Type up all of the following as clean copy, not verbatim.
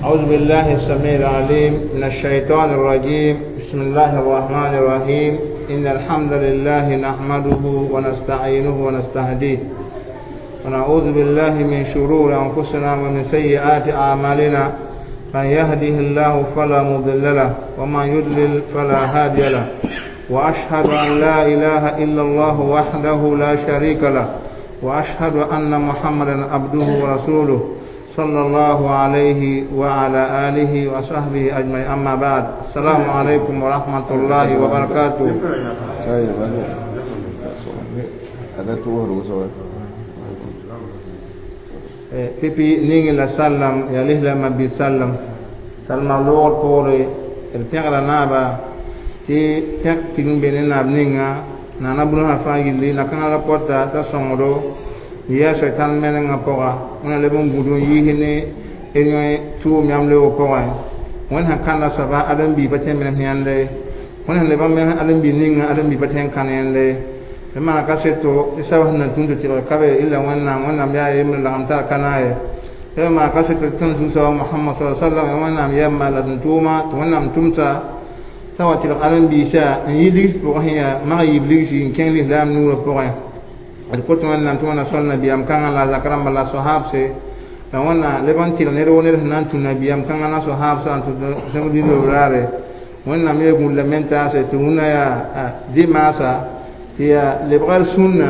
أعوذ بالله السميع العليم من الشيطان الرجيم. بسم الله الرحمن الرحيم. إن الحمد لله نحمده ونستعينه ونستهديه، ونعوذ بالله من شرور أنفسنا ومن سيئات أعمالنا. من يهده الله فلا مضل له ومن يضلل فلا هادي له، وأشهد أن لا إله إلا الله وحده لا شريك له، وأشهد أن محمدا عبده ورسوله صلى الله عليه وعلى آله وصحبه أجمعين. أما بعد، السلام عليكم ورحمة الله وبركاته. Pipi ningi la sallam ya lihla ma bi sallam salma lor pore el pẽgra naaba tɩ pẽk tigm be ne naab ninga naana bũnu sã fãa yilli na-kãngã la pɔta t'a sõngdo yaa sɛtan menengã pʋga wẽna leb n gũud n yiis ne d yõ tʋʋm yãmb leoog pʋgẽ. Wẽnd sẽn kãnda soaba ãdem-biig pa tõe n menes yãnde, wẽnd sẽn leb n menes ãdem-biig ninga ãdem-biig pa tõe n kãn yẽnde. D maana kaseto tɩ sab sẽn na tũn tɩ tɩlg ka be illa Wẽnnaam. Wẽnnaam yaa yembre lagem tar ka naay tɩ b maan kaseto tɩ tõnd Zu-soaba Mohamad sa sallam Wẽnnaam yɛmma la tɩ tʋʋma tɩ Wẽnnaam tʋmsa t'a wa tɩlg ãdem-biisã n yi ligs pʋgẽ sẽn yaa mag yiib ligsi n kẽng lislaam nuurã pʋgẽ. D kot Wẽnnaam tɩ Wẽnna sol nabiyaam kãngã la a zak rãmba la soahabse la Wẽnna leb n tɩlg ned woo ned sẽn na n tũ nabiyaam kãngã la soahabsã n tʋ sẽb dĩnd raare. Wẽnnaam yaa gũud la men-taase tɩ wũnã yaa dimaasa tɩ yaa lebga d sũnna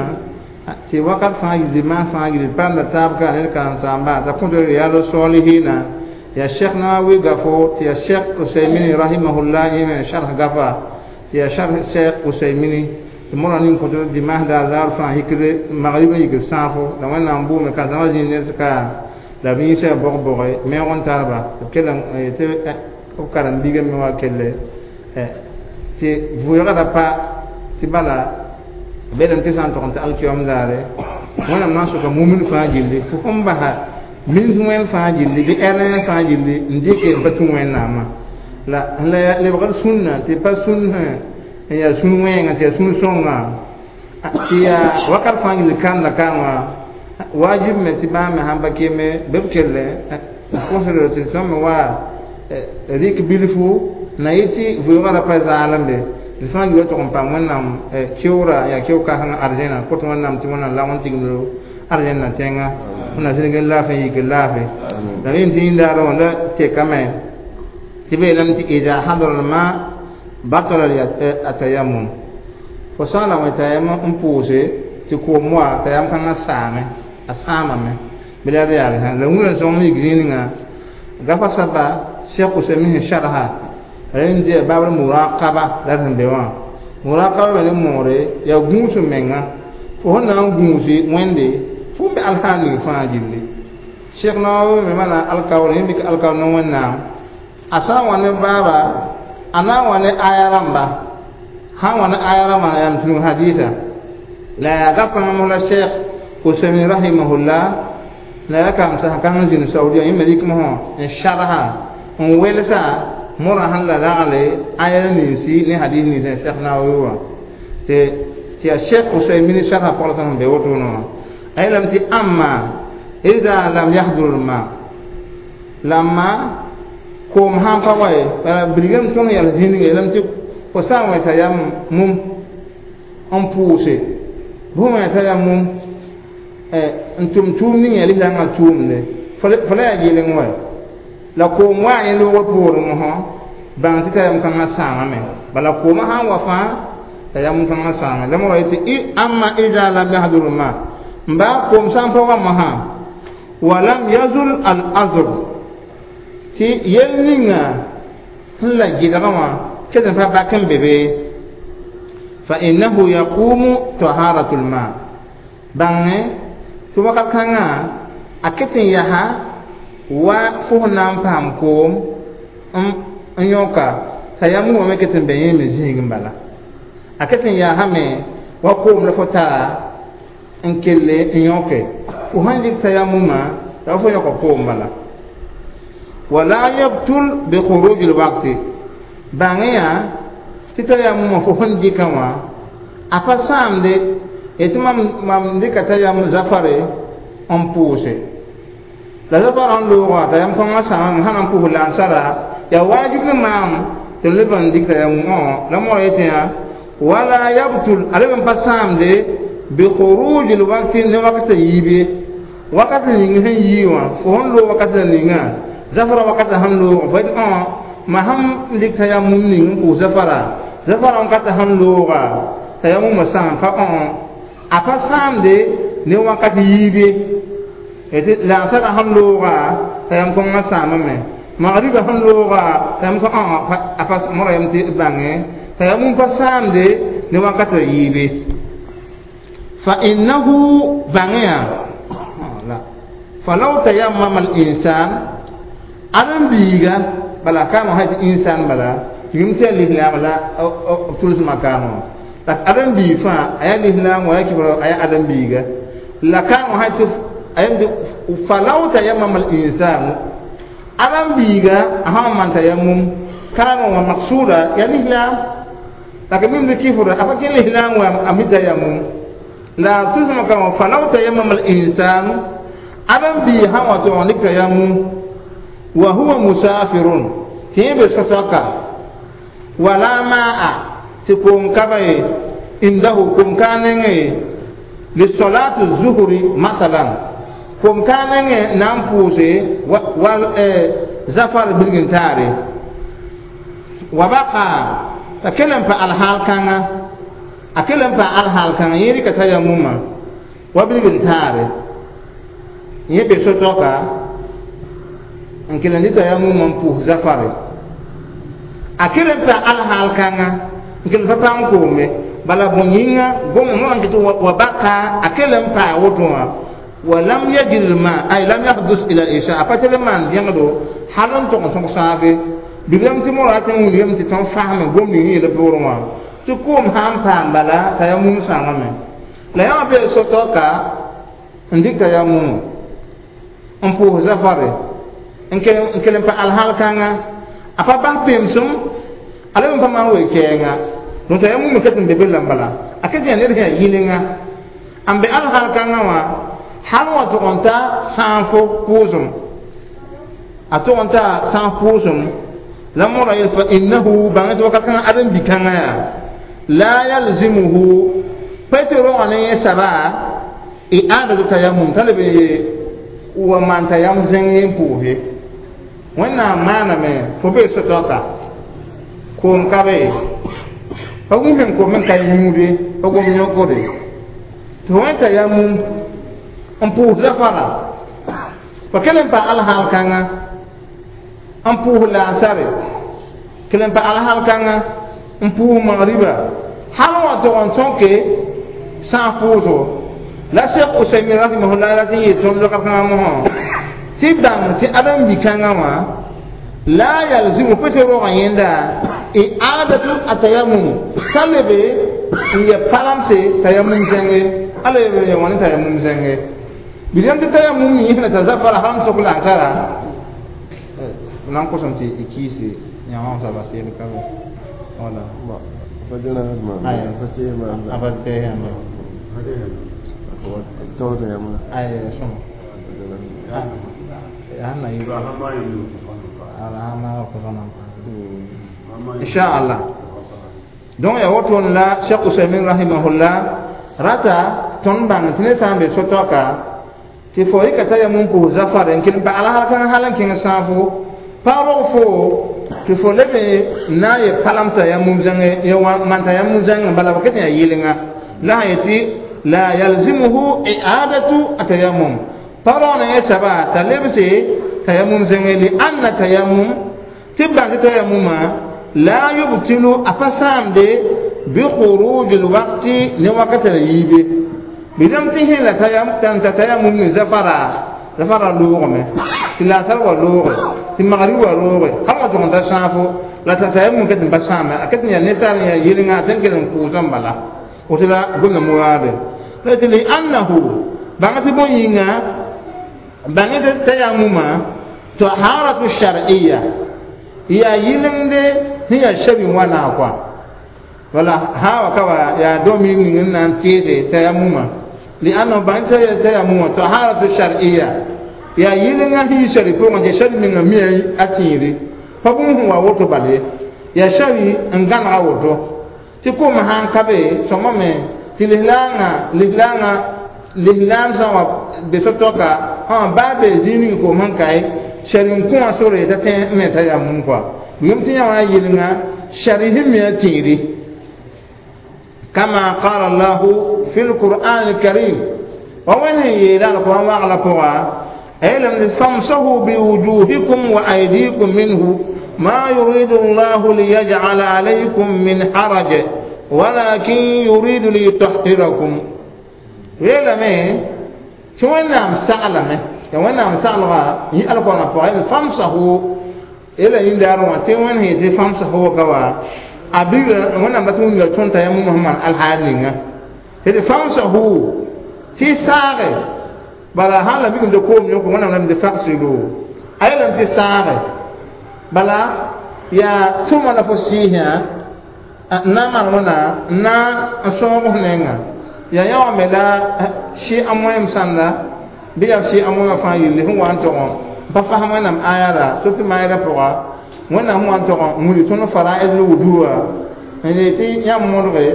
tɩ wakat fãa yil dimaas fãa yil panda taab ka ned karen-saamba t'a kõt Riyadu Solihina yaa Cheikh Nawawi gafo tɩ yaa Cheikh Usaymini rahimahullah yẽ sharh gafa tɩ yaa sharh Cheikh Usaymini tɩ morã ning kõt dimaas daar zaar fãa yikd magrib n yikd sãafo la Wẽnnaam bʋʋme kãnsãmã zĩig ned ka la b yĩsã bog-boge meoog n tarba tɩ b kell tɩ b karen-biigã me wa kelle tɩ vʋʋgã ra pa tɩ bala belem tɩ sã n tog n tɩ alkiyom daare Wẽnnaam na n soka mumin fãa gilli fo sẽn basa mins wẽnd fãa gilli bɩ ɛrẽ fãa gilli n dɩke n pa tũ Wẽnnaamã la la lebgd sũnna tɩ pa sũn n yaa sũn wẽenga tɩ yaa sũn sõnga tɩ yaa wakat fãa gilli kanda kãngã wajib me tɩ bãmb me sãn pa keme bɩ b kelle kosd tɩ tõnd me wa rɩk bilfu na yɩ tɩ vʋʋgã ra pa zaalembe d fãa gilli tʋg n paam Wẽnnaam keoora yaa keo-kãsengã arzẽna kot Wẽnnaam tɩ Wẽnnaam lagm n tigimdo arzẽnna tẽnga Wẽnnaam zĩnig n laafẽ n yik n laafe la rẽnd tɩ yĩndaar wã la tekame tɩ b yeelame tɩ ida hadra lma batala atayammum fo sã n la wẽ t'a yam n pʋʋse tɩ koom wa t'a yam kãngã saame a sãamame bɩ la d yaal la wũnã sõng yik zĩig ninga gafa saba Cheikh Usaymin sẽn sharha rẽnd dɩ babr muraqaba la sẽn be wã muraqaba be ne moore yaa gũus menga fo sẽn na n gũusi Wẽnde fo n be alhaal ning fãa gilli. Cheikh Nawawi me mana alkaoor yẽ mik alkaoor ne Wẽnnaam a sã n wa ne baaba a na n wa ne aya rãmba sã n wa ne aya rãmba yaa n tũnu hadisa la yaa gapãng mosla Cheikh Usaymin rahimahullah la yaa kamsa kãng n zĩnd Saudia yẽ me rɩk mosã n sharha n welsa morã sẽn la ragle aya ninsi ne hadis ninsã Cheikh Nawawi wã tɩ yaa Cheikh Usaymin sharha pɔgl sẽn be wotone wã a yeelame tɩ ãmma ida lam yahdur ma lamma koom sãn pa wa ye bala bilgame tõnd yɛls zĩnga yeelame tɩ fo sã n wẽ t'a yam mum n pʋʋse bʋ wẽ t'a yam mum n tʋm tʋʋm ning yaa lislaangã tʋʋmde fo la yaa yeleng wa la koom wa yẽ loogr poorẽ mosã bãng tɩ t'a yam kãngã sãamame bala koomã sã n wa fãa t'a yam kãngã sãame la morã yetɩ ãmma ida lam yahdur ma n baa koom sã n pa wa mosã walam yazul al azr tɩ yel ninga sẽn la gɩdgã wã ket n pa bak n be be fa innahu yaqumu taharatu lma bãnge tɩ wakat kãngã a ket n yaa wa fo sẽn na n paam koom n yõka t'a yam wã me ket n be yẽ me zĩig n bala a ket n yaasame wa koom la fo tara n kelle n yõke fo sãn dɩk t'a yamumã la fo yõka koom bala wala yabtul bi khuruj alwaqti bãng yaa tɩ t'a yamumã fo sẽn dɩka wã a pa sãamde tɩ mam dɩka t'a yam zafare n pʋʋse La zafara n looga tayam kõngã sãamame sã na n pʋs lansara yaa waajib ne maam tɩ n leb n dɩk tayamum la mora yetẽ yaa wala yabtul a leb n pa sãamde bi khuruj lwakti ne wakat yiib ye wakat ning sẽn yii wã fo sẽn loog wakat la ninga zafara wakat sẽn loog fo yetɩ ma sãn dɩk tayamum ning n pʋʋs zafara zafara wakat sẽn looga tayamumã sãam pa a pa sãamde ne wakat yiib ye lansara sẽn looga tayam kõngã sãamame magriba sẽn looga tayam kõ a pa mora yam tɩ bãnge tayamum pa sãamde ne wakat yiib ye fa innahu bãngẽ la falaw tayammama al-insan adam biiga bala kãaneg sã tɩ insan bala yũm tɩ ya lislaam la tuls makaamã la adam biig fãa a yaa lislaam wa ya kɩbra a yaa adam biiga la kãaneg sã tɩ falaw tayammama al-insan adam biiga a sã n maan tayammum kãaneg wã maksuuda ya lislaam la ka mim tɩ kɩfra a pa kẽ lislaam wa a mi tayammum la tuls makaamã falaw tayammama al-insan adam bii sã wa tɩ dɩk tayammum wa huwa musafirun tɩ yẽ be sotɔka wala maa tɩ koom ka ba ye indahu koom ka a nengẽ ye lisolati zuhuri masalan koom ka a nengẽ na n pʋʋse wal zafar bilgin-taare wa baka t'a kell n pa alhaal kãnga a kell n pa alhaal kãnga yẽ rɩka tayammumã wa bilgin-taare yẽ be sotɔka n kell n dɩ tayammumã n pʋʋs zafare a kell n pa alhaal kãnga n kell n pa paam koome bala bõe yĩnga gom wã n kɩ tɩ wa baka a kell n paa woto wã wa lam yajid lma ay lam yahdus ila isha a pa tɩ l maan vẽgdo hal n tog n tõg sãabe bilam tɩ mora tɩ n wilg yem tɩ tõnd fasme gom ning yeel pʋgrẽ wã tɩ koom sã n paam bala tayammum sãamame la yã wã bee sotɔka n dɩk tayammum n pʋʋs zafare n kell n pa alhal kãnga a pa bas pemsem a leb n pa maan wee-kɛɛnga donc tayammum ket n be be la n bala a ket yaa ned sẽn yaa yɩlenga n be alhal kãngã wã hal wã tʋg n ta sãafo pʋʋsem a tʋg n ta sãaf pʋʋsem la mora yel fa innahu bãng tɩ wakat kãngã ãdem-bi-kãngã yaa la yalzimuhu pa tɩ roogã ne yẽ saba i'adatu tayammum t'a leb n ye wa maan tayam zẽng yẽ n pʋʋs ye wẽnnaam maaname fo bee sotɔka koom ka be pa gũus n kom n ka yũude pa gom yõkde tɩ fo wẽ tayammum n pʋʋs zafara fa kell n pa alhaal kãnga n pʋʋs laasare kell n pa alhaal kãnga n pʋʋs magriba hal wã tʋg n tõke sãas pʋʋsgo la Cheikh Usaymin rahimahullah la tɩ n yeel tõnd loka kãngã mosã tɩ bãng tɩ ãdem-bi-kãngã wã la yalzimu pʋ tɩ rogã yẽnda i'adatu atayammum t'a lebe n yɛ palamse tayammum zẽnge a lebe n yɛ wã ne tayammum zẽnge bɩ tɩ tayammum yĩsna t'a zafara sãn sok lansara na n kosem tɩ y kiise yãwã saba seel ka be wala inshallah donc ya woton la Cheikh Usaimin rahimahullah rata tõnd bãng tɩ ne sã n be sotɔka tɩ fo rɩka t'a yam n pʋs zafare n kell n pa alsal kãng hal n kẽng sãafo pa rog fo tɩ fo leb n na n ye palam tayammum zãnge maan tayammum zãngẽ bala ba ket n yaa yɩlenga la sã yetɩ la yalzimuhu i'adatu atayammum pa roog ne yẽ saba t'a lebse tayammum zãnge li anna tayammum tɩ bãng tɩ tayammumã la yubtilu a pa sãamde bi khuruj lwakti ne wakata la yiibe bɩdame tɩ sẽn la t'a tayammum ne zafara zafara loogame tɩ laasar wa looge tɩ magrib wa looge hal wã tʋg n ta sãafo la t'a tayammum ket n pa sãame a ket n yaa ninsaal n yaa yɩlenga a tẽn kell n pʋʋsã n bala woto la gomda muraade la tɩ li annahu bãng tɩ bõe yĩnga bãng tɩ tayammumã taharatu shar'iyya yaa yɩlengde sẽn yaa shabi wãna kɔa wala ha wa ka wa yaa dõm ning n na n teese tayammumã liannahu bãng tɩ tayammumã taharatu shar'iyya Yaa yɩlenga sẽn yi sari pʋgẽ tɩ sari menga mi a tẽere pa bũmb sẽn wa woto bal ye yaa sari n gãnega woto tɩ koom sã n ka be sõmame tɩ lislaangã lislaam sã n wa be so-tɔka baa be zĩig ning koom sẽn kae sari n kõ wã sore t'a tẽ n me t'a yaa mum kɔa yem tɩ yã wã yɩlenga sari sẽn mi a tẽere kama qala allahu fi lqur'an alkarim wa wẽnd sẽn yeela alqur'an wagla pʋga ayelame famsahu biwujuhikum wa aydikum minhu ma yuridu allahu liyaj'ala alaykum min haraj walakin yuridu liyutahhirakum yeelame tɩ wẽnnaam saglame ya wẽnnaam saglga yĩ alqur'ã pʋga famsahu ela yĩndaar wã tɩ wẽnd sẽn yetɩ famsahu ka wa a bigra wẽnnaam dat wĩnga tõnd t'a yãmb sẽn maan alhaal ninga tɩ famsahu tɩ saage bala sãn la migem tɩ koom yõk wẽnnaam lame tɩ fagsilu a yeelame tɩ saage bala yaa tʋma la fo sɩɩsã n na n maan wãna n na n sõog f nenga yaa yã wã me la sɩ a moẽm sãnda bɩ yaa sɩ a moẽmã fãa yelle sẽn wa n tog n pa fasem wẽnnaam aya la soki maayda pʋga wẽnnaam sẽn wa n tog n wilg tõnd fara'id l wuduwa n yeel tɩ yãmb modge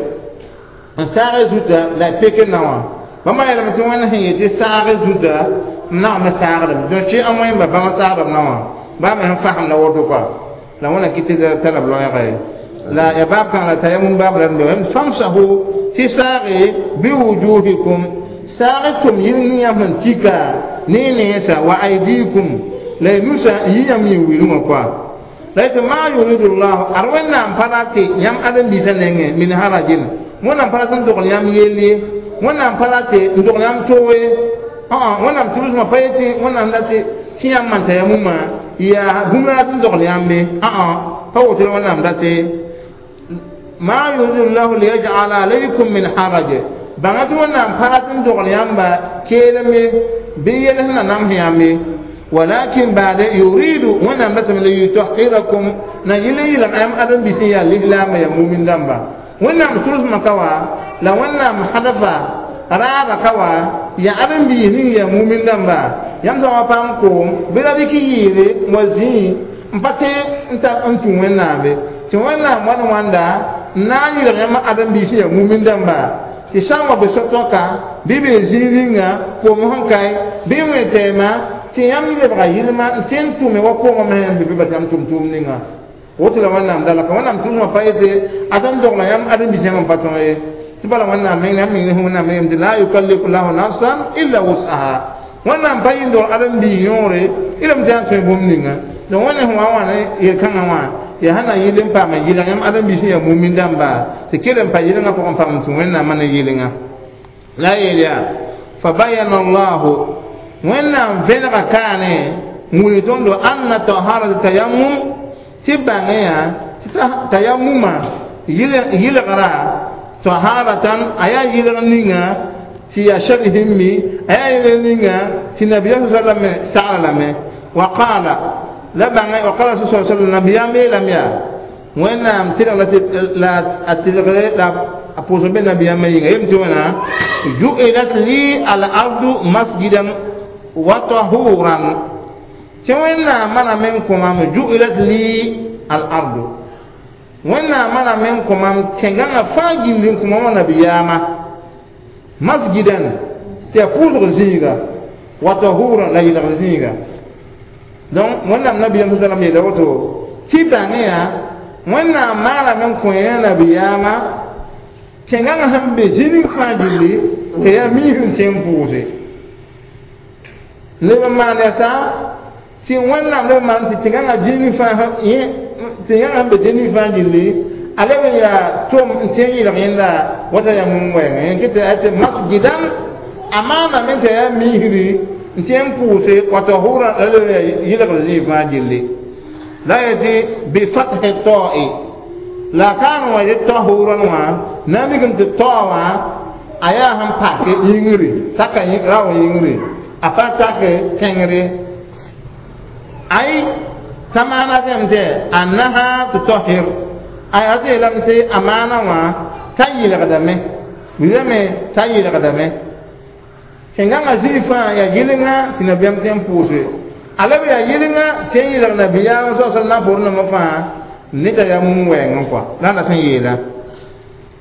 n saag zuta la y pek na wã bãmba yeelame tɩ wẽnd sẽn yetɩ saag zuta n nagme saagdame donc sɩ a moẽmba bãmba saagdame na wã baa me sẽn fasem la woto kɔa la wẽna kɩ tɩ tara b loɛɛga ye la ya baab kãng la tayamum baab la n famsahu tɩ saage biwujuhikum saag tʋm yɩl ning yãmb sẽn tika ne nensã wa aydikum la y nusa n yɩ yãmb yĩn wilgã kɔa la yetɩ ma yuridu llahu ad wẽnnaam pa ra tɩ yãmb ãdem-biisã nengẽ min harajin wẽnnaam pa rat n dogl yãmb yell ye wẽnnaam pa ra tɩ n dogl yãmb toog ye wẽnnaam tʋlsmã pa yetɩ wẽnnaam la tɩ tɩ yãmb maan tayamumã yaa bũmb la rat n dogl yãmbe pa woto wẽnnaam dat ma yuridu llahu liyaj'ala alaykum min haraj bãnga tɩ wẽnnaam pa rat n dogl yãmba keelem ye bɩ yel sẽn na nams yãmb ye walakin baade yuridu wẽnnaam datame liyutahhirakum na yɩl n yɩlg yãmb ãdem-biis n yaa lislaambã yaa mumin dãmba wẽnnaam tʋlsmã ka wa la wẽnnaam hadafa raada ka wa yaa ãdem-biis ning yaa mumin dãmba yãmb sã wa paam koom bɩ ra dɩk yɩɩre n wa zĩi n pa tẽ n tar n tũ wẽnnaambe tɩ wẽnnaam wa ne wãnda n na n yɩlg yãmb ãdem-biis n yaa mumin dãmba tɩ sã n wa be so-tõka bɩ be zĩig ninga koom sẽn kae bɩ wẽ tɛɛma tɩ yãmb lebga yɩlma n tẽ n tʋme wa koongã me yãmb be bɩ yãmb tʋm tʋʋm ninga woto la wẽnnaam dala ka wẽnnaam tʋlsmã pa yetɩ ad n dogla yãmb ãdem-biis yãmb n pa tõe ye tɩ bala wẽnnaam meng yãmb meng ne wẽnnaam yem tɩ la yukallifu llahu nafsan illa wus'aha wẽnnaam pa yɩ n dogl ãdem-biis yõore y lame tɩ yaa tõe bũmb ninga donc wẽnd sẽn wa wã ne yel-kãngã wã yaa sẽn na yɩl n paam n yɩlg yãmb ãdem-biis n yaa mumin dãmba tɩ kell n pa yɩlengã pʋgẽ n paam n tũ wẽnnaamã ne yɩlenga la a yeel yaa fa bayana allahu wẽnnaam vẽnega kaane n wilg tõndo anna taharata tayammum tɩ bãngẽ yaa tɩ tayammumã yɩlgra taharatan a yaa yɩlg ninga tɩ yaa shari sẽn mi a yaa yɩlg ninga tɩ nabiyaam sallam sagra lame wa qaala la bãngẽ wa qala rasul sallam nabiyaam yeelame yaa wẽnnaam tɩrg la a tɩrgre la a pʋʋsg be nabiyaamã yĩnga yem tɩ wẽna ju'ilat li al ardu masjidan wa tahuran tɩ wẽnnaam maname n kõ mam ju'ilat li al ardu wẽnnaam maname n kõ mam tẽngãngã fãa gilli n kõ mam wã nabiyaamã masjidan tɩ yaa pʋʋsg zĩiga wa tahuran la yɩlgr zĩiga donc wẽnnaam nabiyaam sa salam yeela woto tɩ bãngẽ yaa wẽnnaam maaname n kõ yẽ nabiyaamã tẽngãngã sẽn be zĩnig fãa gilli tɩ yaa miis n tẽ n pʋʋse leb n maan yaa tɩ wẽnnaam leb n maan tɩ tẽngãngã zĩnig fãa tẽngãngã sẽn be zĩnig fãa gilli a leb n yaa tom n tẽ n yɩlg yẽnda wata yaa mum wɛɛngã yẽ kɩ tɩ masjidan a maaname tɩ yaa miisri n tẽ n pʋʋse wa tahura la leb n yaa yɩlgr zĩig fãa gilli la yetɩ bifathi ta'i la kaan wã yetɩ tahuran wã na n migame tɩ tao wã a yaa sẽn pake yĩngri taka rao yĩngri a pa tak tẽngre ay t'a maana tẽm tɩ annaha tutahir ay a yeelame tɩ a maana wã t'a yɩlgdame wilame t'a yɩlgdame Sẽn gãngã zĩig fãa yaa yɩlenga tɩ nabiyaam tẽ n pʋʋse a la b yaa yɩlenga tɩ n yɩlg nabiyaam sa sallam na n poor nambã fãa ne t'a yaa mum wɛɛngẽ kɔa la a dat n yeela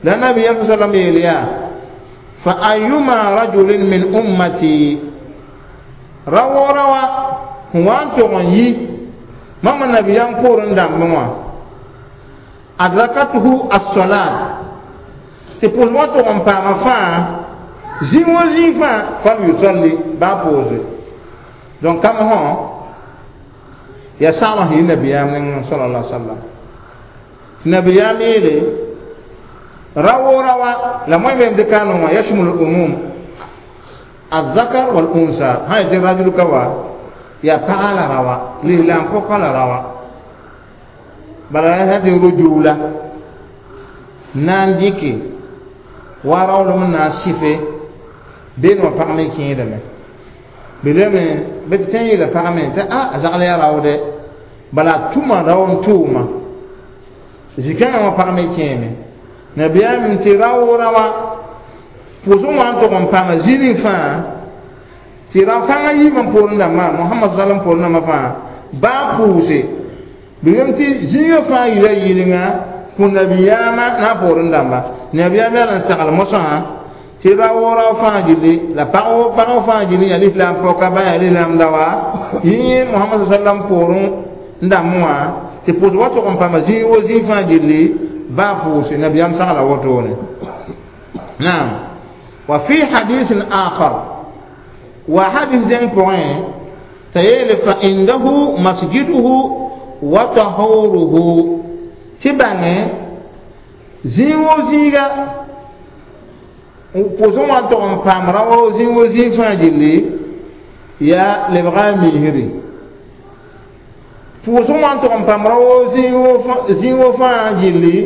la nabiyaam sa sallam yeel yaa fa ayuma rajulin min ummati rawoora wa sẽn wa n tog n yi mam nabiyaam poorẽ dãmbẽ wã adrakatuhu as-salat tɩ pʋʋsg wã tog n paama fãa zĩig wo zĩig fãa falyusalli baa pʋʋse donc kam sõ yaa saglg sẽn yi nabiyaam nengẽ sala sallam tɩ nabiyaam yeele rawoora wa la moẽ beem dɩka n wã yashmul umum الذكر والأنثى هاي تي رجل كوا يا پغا la rawa lislaam pɔka la rawa bala sã tɩ rujula na n dɩke wa raoolem n na n sɩfe beene wã pag me kẽedame belame bɩ tɩ tẽ n yeela pag me tɩ a zagl yaa raoodɛ bala a tʋma rao n tʋʋma zĩ-kãngã wã pag me kẽeme nabiyaam tɩ raoora wã pʋʋsg wã n tog n paama zĩig ning fãa tɩ rao-kãngã yiibã poorẽ dãmbã mohamad salam poorẽ dãmbã fãa baa pʋʋse bɩ tɩ zĩigã fãa yila yɩlenga kõ nabiyaamã na a poorẽ dãmba nabiyaam yaa n sagl mosã tɩ ra-woorã fãa gilli la pag fãa gilli yaa lislaam pɔka ba yaa lislaam daoa yẽ mohamad sallam poorẽ n dãmbẽ wã tɩ pʋʋsg wa tog n paama zĩig wo zĩig fãa gilli baa pʋʋse nabiyaam sagla wotone naam wa fi hadisin akhar wa hadis dẽng pʋgẽ t'a yeele fa indahu masjiduhu wa tahuruhu tɩ bãnge zĩig wo zĩiga pʋʋsg wã n tog n paam rã wo zĩig wo zĩig fãa gilli yaa lebga a miisri pʋʋsg wã n tog n paam rã wo zĩig wo fãa gilli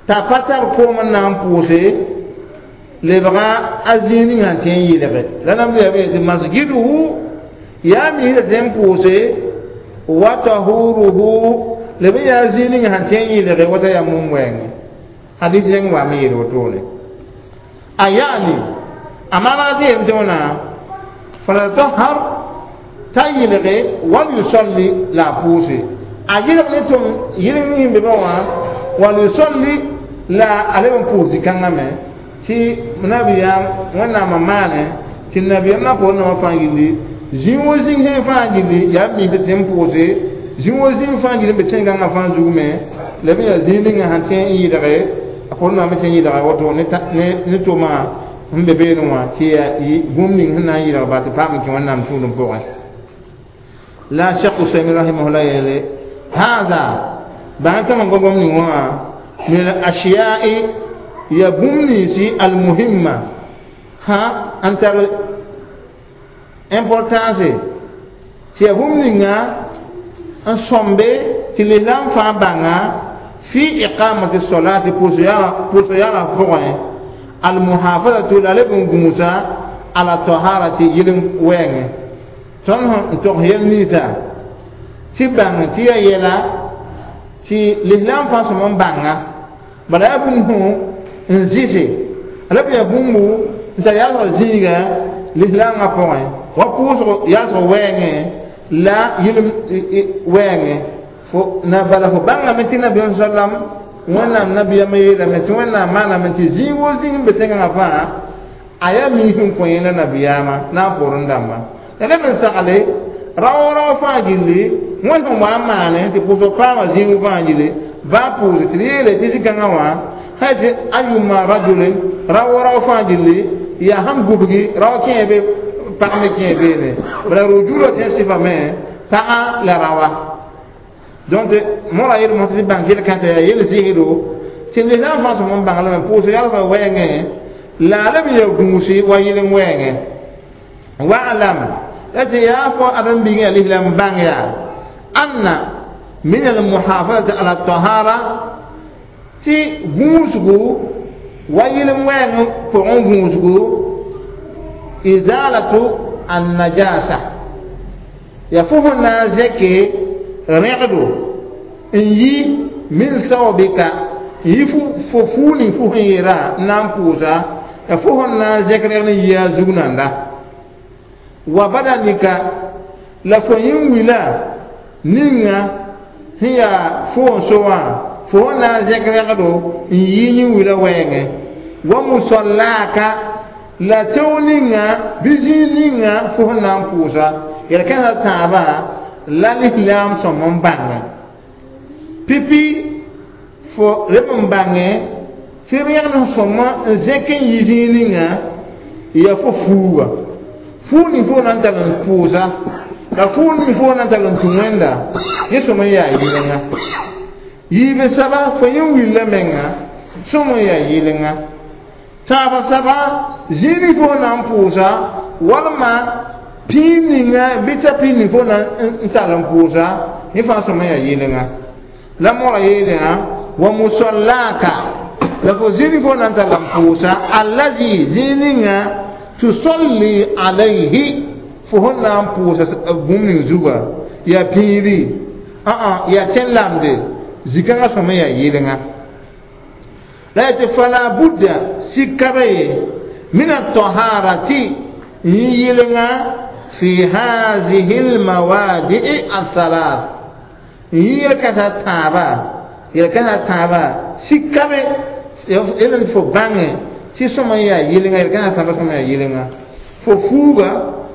t'a pa tar koom n na n pʋʋse lebga a zĩig ning sẽn tẽ n yɩlge la nam yaa tɩ masjiduhu yaa miisda tẽ n pʋʋse wa tahuruhu leb n yaa zĩig ning sẽn tẽ n yɩlge wata yaa mum wɛɛngẽ hadis rẽng waame yeel wotone a yaani a maana tɩ yem tɩ wãna falatahar t'a yɩlge wal yusalli la a pʋʋse a yɩlg ne tʋm yɩlg ning be wã wal yusalli la a leb n pʋʋs zĩ-kãngã me tɩ nabiyaam wẽnnaamã maane tɩ nabiyaam na poor nambã fãa gilli zĩig wo zĩig sẽn fãa gilli yaa mi tɩ tẽ n pʋʋse zĩig wo zĩig fãa gilli n be tẽn-gãngã fãa zug me la b yaa zĩig ninga sẽn tẽ n yɩlge a poor nambã me tẽ n yɩlga woto ne tʋma n be beene wã tɩ yaa bũmb ning sẽn na n yɩlg ba tɩ paam n kẽ wẽnnaam tũudem pʋgẽ la cheikh usaymin rahimahullah yeele hada bãng tõm n gom ning wã min al ashiya'i ya bũmb ninsi almuhimma ha n tar importance tɩ ya bũmb ninga n sõmbe tɩ lislaam fãa bãnga fi iqamati solati pʋʋsg yala pʋgẽ almuhafazatu la leb n gũusa ala taharati yɩl wɛɛngẽ tõnd n tog yɛl ninsã tɩ bãng tɩ ya yɛla tɩ lislaam fãa sõm n bãnga bala yaa bũmb n zɩse la b yaa bũmbu n tar yalsg zĩiga lislaamã pʋgẽ wa pʋʋsg yalsg wɛɛngẽ la yɩl wɛɛngẽ fo na bala fo bãngame tɩ nabiyaam sallam wẽnnaam nabiyaamã yeelame tɩ wẽnnaam maaname tɩ zĩig wo zĩig n be tẽngã fãa a yaa miis n kõ yẽla nabiyaamã na n poorẽ dãmba la leb n sagle rao-rao fãa gilli wẽnd sẽn wa n maane tɩ pʋʋsg paama zĩig fãa gilli baa pʋʋse tɩ d yeele tɩ zĩ-kãngã wã sã tɩ ayuma rajulin rao-rao fãa gilli yaa sãn gubgi rao kẽe be pag me kẽe beene bala rujula tẽ sɩfame pagã la rawa donc mora yel mo tɩ bãng yel-kãtã yaa yel zɩɩdo tɩ lislaam fãa sõm n bãng lame pʋʋsg yalsga wɛɛngẽ la a leb n yaa gũusi wa yɩl n wɛɛngẽ wa'lam la tɩ yaa fo ãdem-biigã yaa lislaam bãng yaa anna min almuhafazati ala tahara tɩ gũusgu wa yɩl n wɛɛng pʋgẽ gũusgu izalatu annajasa yaa fo sẽn na n zẽke rẽgdo n yi min saobika n yi fo fuu ning fo sẽn yeera n na n pʋʋsa Ya fo sẽn na n zẽk reg ne yia zug nanda wa badanika la fo yĩn wila ninga sẽn yaa fo n so wã fo sẽn na n zẽk regdo n yɩ yĩn wila wɛɛngẽ wa musallaka la tẽo ninga bɩ zĩig ninga fo sẽn na n pʋʋsa yel-kãensã tãabã la lislaam sõm n bãngẽ pipi fo reb n bãngẽ tɩ rẽgd sõma n zẽk n yi zĩig ninga ya fo fuuga fuug ning fo na n tar n pʋʋsa la fuug ning fo na n tar n tũ wẽnda yẽ sõm n yaa yɩlenga yiib saba fo yẽ willa menga sõm n yaa yɩlenga tãabã saba zĩig ning fo na n pʋʋsa walma pĩig ninga bɩ t'a pĩig ning fo na n tar n pʋʋsa yẽ fãa sõm n yaa yɩlenga la mora yeelã wa musallaka la fo zĩig ning fo na n tar n pʋʋsa allazi zĩig ninga tusalli alayhi fo sẽn na n pʋʋsa bũmb ning zuga yaa pĩiri yaa tẽn-lamde zikãngã sõm n yaa yɩlenga la yaa tɩ fala budda sika be ye min ataharati n yɩlenga fi hazihi lmawadii athalath n yɩ yel-kãsã tãabã yel-kãsã tãabã sika be d fo bãnge tɩ sõm n yaa yɩlenga yel-kãsã tãabã sõm n yaa yɩlenga fo fuuga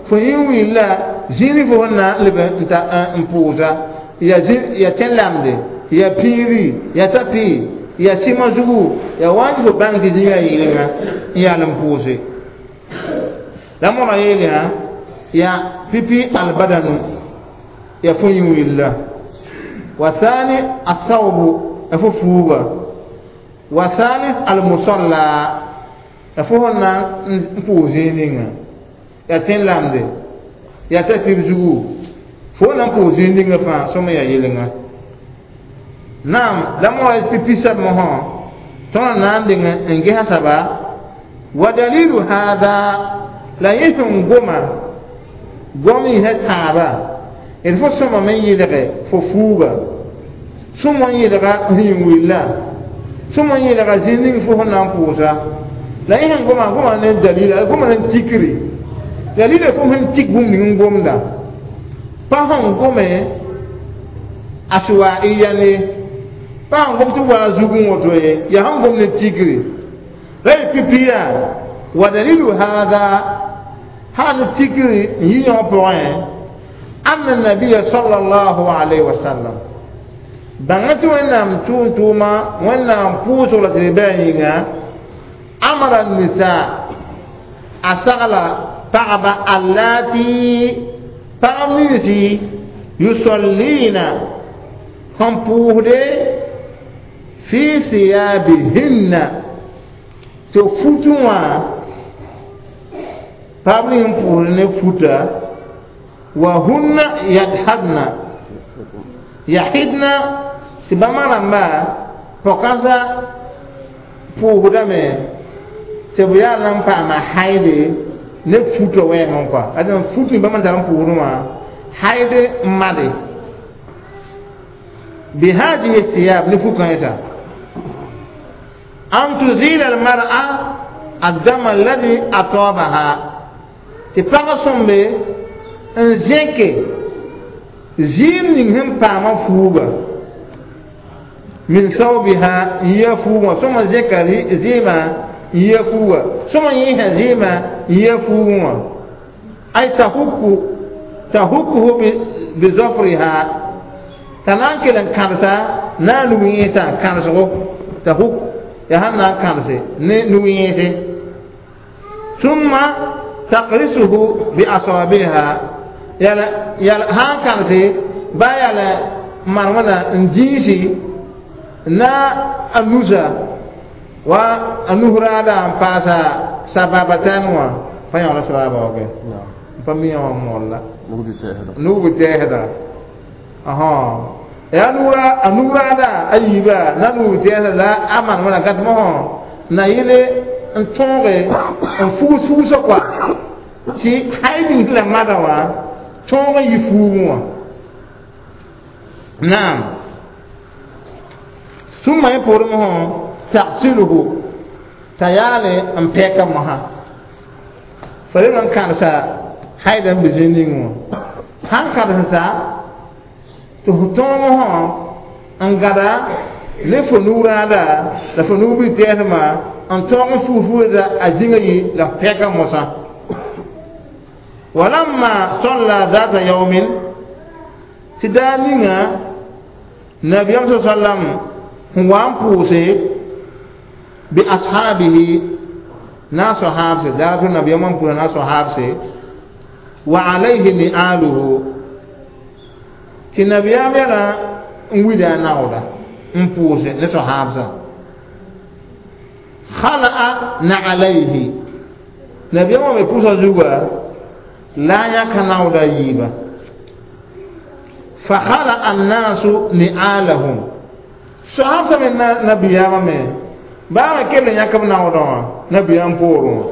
fo yẽ willa zĩig fo sẽn na n leb n pʋʋsa yaa tẽn-lamde yaa pĩiri yaa ta-pɩ yaa sɩma zugu yaa wa n tɩ fo bãng tɩ zĩig yaa yɩlenga n yaal n pʋʋse la mõra yeelã yaa pipi albadanu yaa fo yẽ willa wa thani asawbu yaa fo fuuga wa thalith almusalla yaa fo sẽn na n pʋʋs zĩig ninga yaa tẽn-lamde yaa ta-pib zugu fo na n pʋʋs zĩig ninga fãa sõm n yaa yɩlenga naam la mõra pipi sab mosã tõnd na n deng n gesa saba wa dalilu hada la yẽ sẽn goma gom yĩsã tãabã d fo sõmame n yɩlge fo fuuga sõm n yɩlga sẽn willa sõm n yɩlga zĩig ning fo sẽn na n pʋʋsa la yẽ sẽn goma goma ne dalila goma ne tikri dalila fo sẽn tik bũmb ning n gomda pa sẽn gome aswaiya ne pa sẽn gom tɩ waa zugẽ woto ye yaa sẽn gom ne tikri la y pipi yaa wa dalilu hada hal tikri n yi yõ pʋgẽ anna nabiya sallallahu alayhi wa sallam bãnga tɩ wẽnnaam tʋʋm-tʋʋma wẽnnaam pʋʋsg la tɩ d bɩ a yĩnga amara nisa a sagla pagba allati pagb ninsi yusallina sẽn pʋʋsde fi siyabihinna tɩ futẽ wã pagb ning n pʋʋsd ne futa wa hunna yadhadna yahidna tɩ bãmba rãmba pɔkãsã pʋʋsdame tɩ b yaa na n paama haide ne futã wɛɛngẽ kɔa ade fut ning bãmb n tar n pʋʋsdẽ wã haide n made bihadihi siyab ne fu-kãensã an tuzila almar'a addama alladhi atabaha tɩ pag sõmbe n zẽke zɩɩm ning sẽn paamã fuuga min sawbiha n yia fuugã sõma zẽka zɩɩmã n yia fuuga sõma yẽesa zɩɩmã n yia fuugẽ wã ay tahuku tahukuhu bizafriha t'a na n kell n kãdsa na n nug yẽesã kãdsgo tahuk yaa sãn na n kãdse ne nug yẽese summa taqrisuhu bi asabiha yala yala sãn kãdse ba yala marmã n dĩisi na a nusa wa a nus raada n paasa sababatan wã pa yãola sababa wã n pa mi yã wã molla nug bi tɛɛsda ya a nug raada a yiiba na nug bi tɛɛsda la a manema gat mosã na yɩle n tõoge n fugs fugsã kɔa tɩ hay ning la mada wã tõog n yɩ fuugẽ wã naam summa yẽ poorẽ mosã tagsiluhu T'a yaale n pɛka mosã fo rem n kãdsa haida n be zĩ ning wã sãn kãdsensa tɩ f tõog mosã n gãda ne fo nug-rãada la fo nug-bil tɛɛsmã n tõog n fuufda a zĩngã yɩ la f pɛka mosã. Walamma salla zata yaumin tɩ daa ninga nabiyam sa sallam n wa n pʋʋse bi ashabihi na sahabse daa tɩ nabiyam n pʋʋsa na sahabse wa alayhi ni'aluhu tɩ nabiyam yɛla n wida a naooda n pʋʋse ne sahabsã khala'a na'alayhi nabiyam wã me pʋʋsã zuga la a yãka naooda yiiba fa khala'a annasu ni'alahum sahabsã me nabiyaamã me baa me kell n yãk b naoodã wã nabiyaam poorẽ wã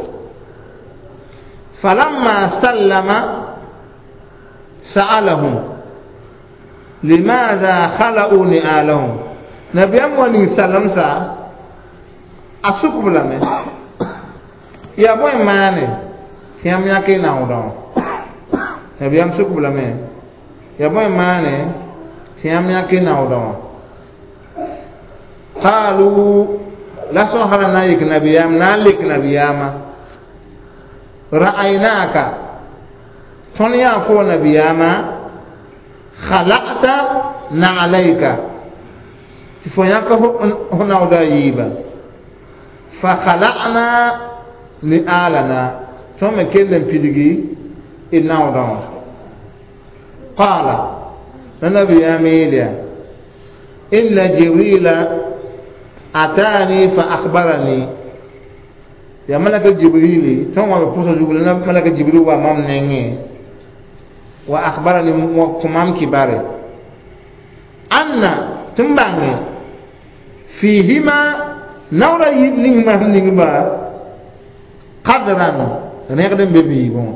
falamma sallama sa'alahum limaada khala'u ni'alahum nabiyaam wa ning salamsa a sukb lame yaa bõe maane tɩ yãmb yãk y naoodã wã nabiyaam sukb lame yaa bõe maane tɩ yãmb yãk y naoodã wã qaalu la sõsra na n yik nabiyaam na n lek nabiyaamã ra'aynaka tõnd yaa fo nabiyaamã khalaqta na'alayka tɩ fo yãk f naooda yiiba fa khalaqna ni'alana tõnd me kell n pidgi d naoodã wã qaala la nabiyaam yeelya inna jibrila atani fa akhbarani ya malaka jibrili tõnd wa me pʋsã zug la malaka jibril wa mam nengẽ wa akhbarani wa kõ mam kibare anna tɩ n bãnge fihima naoora yib ning mam ningba qadran rẽgd n be biibẽ wã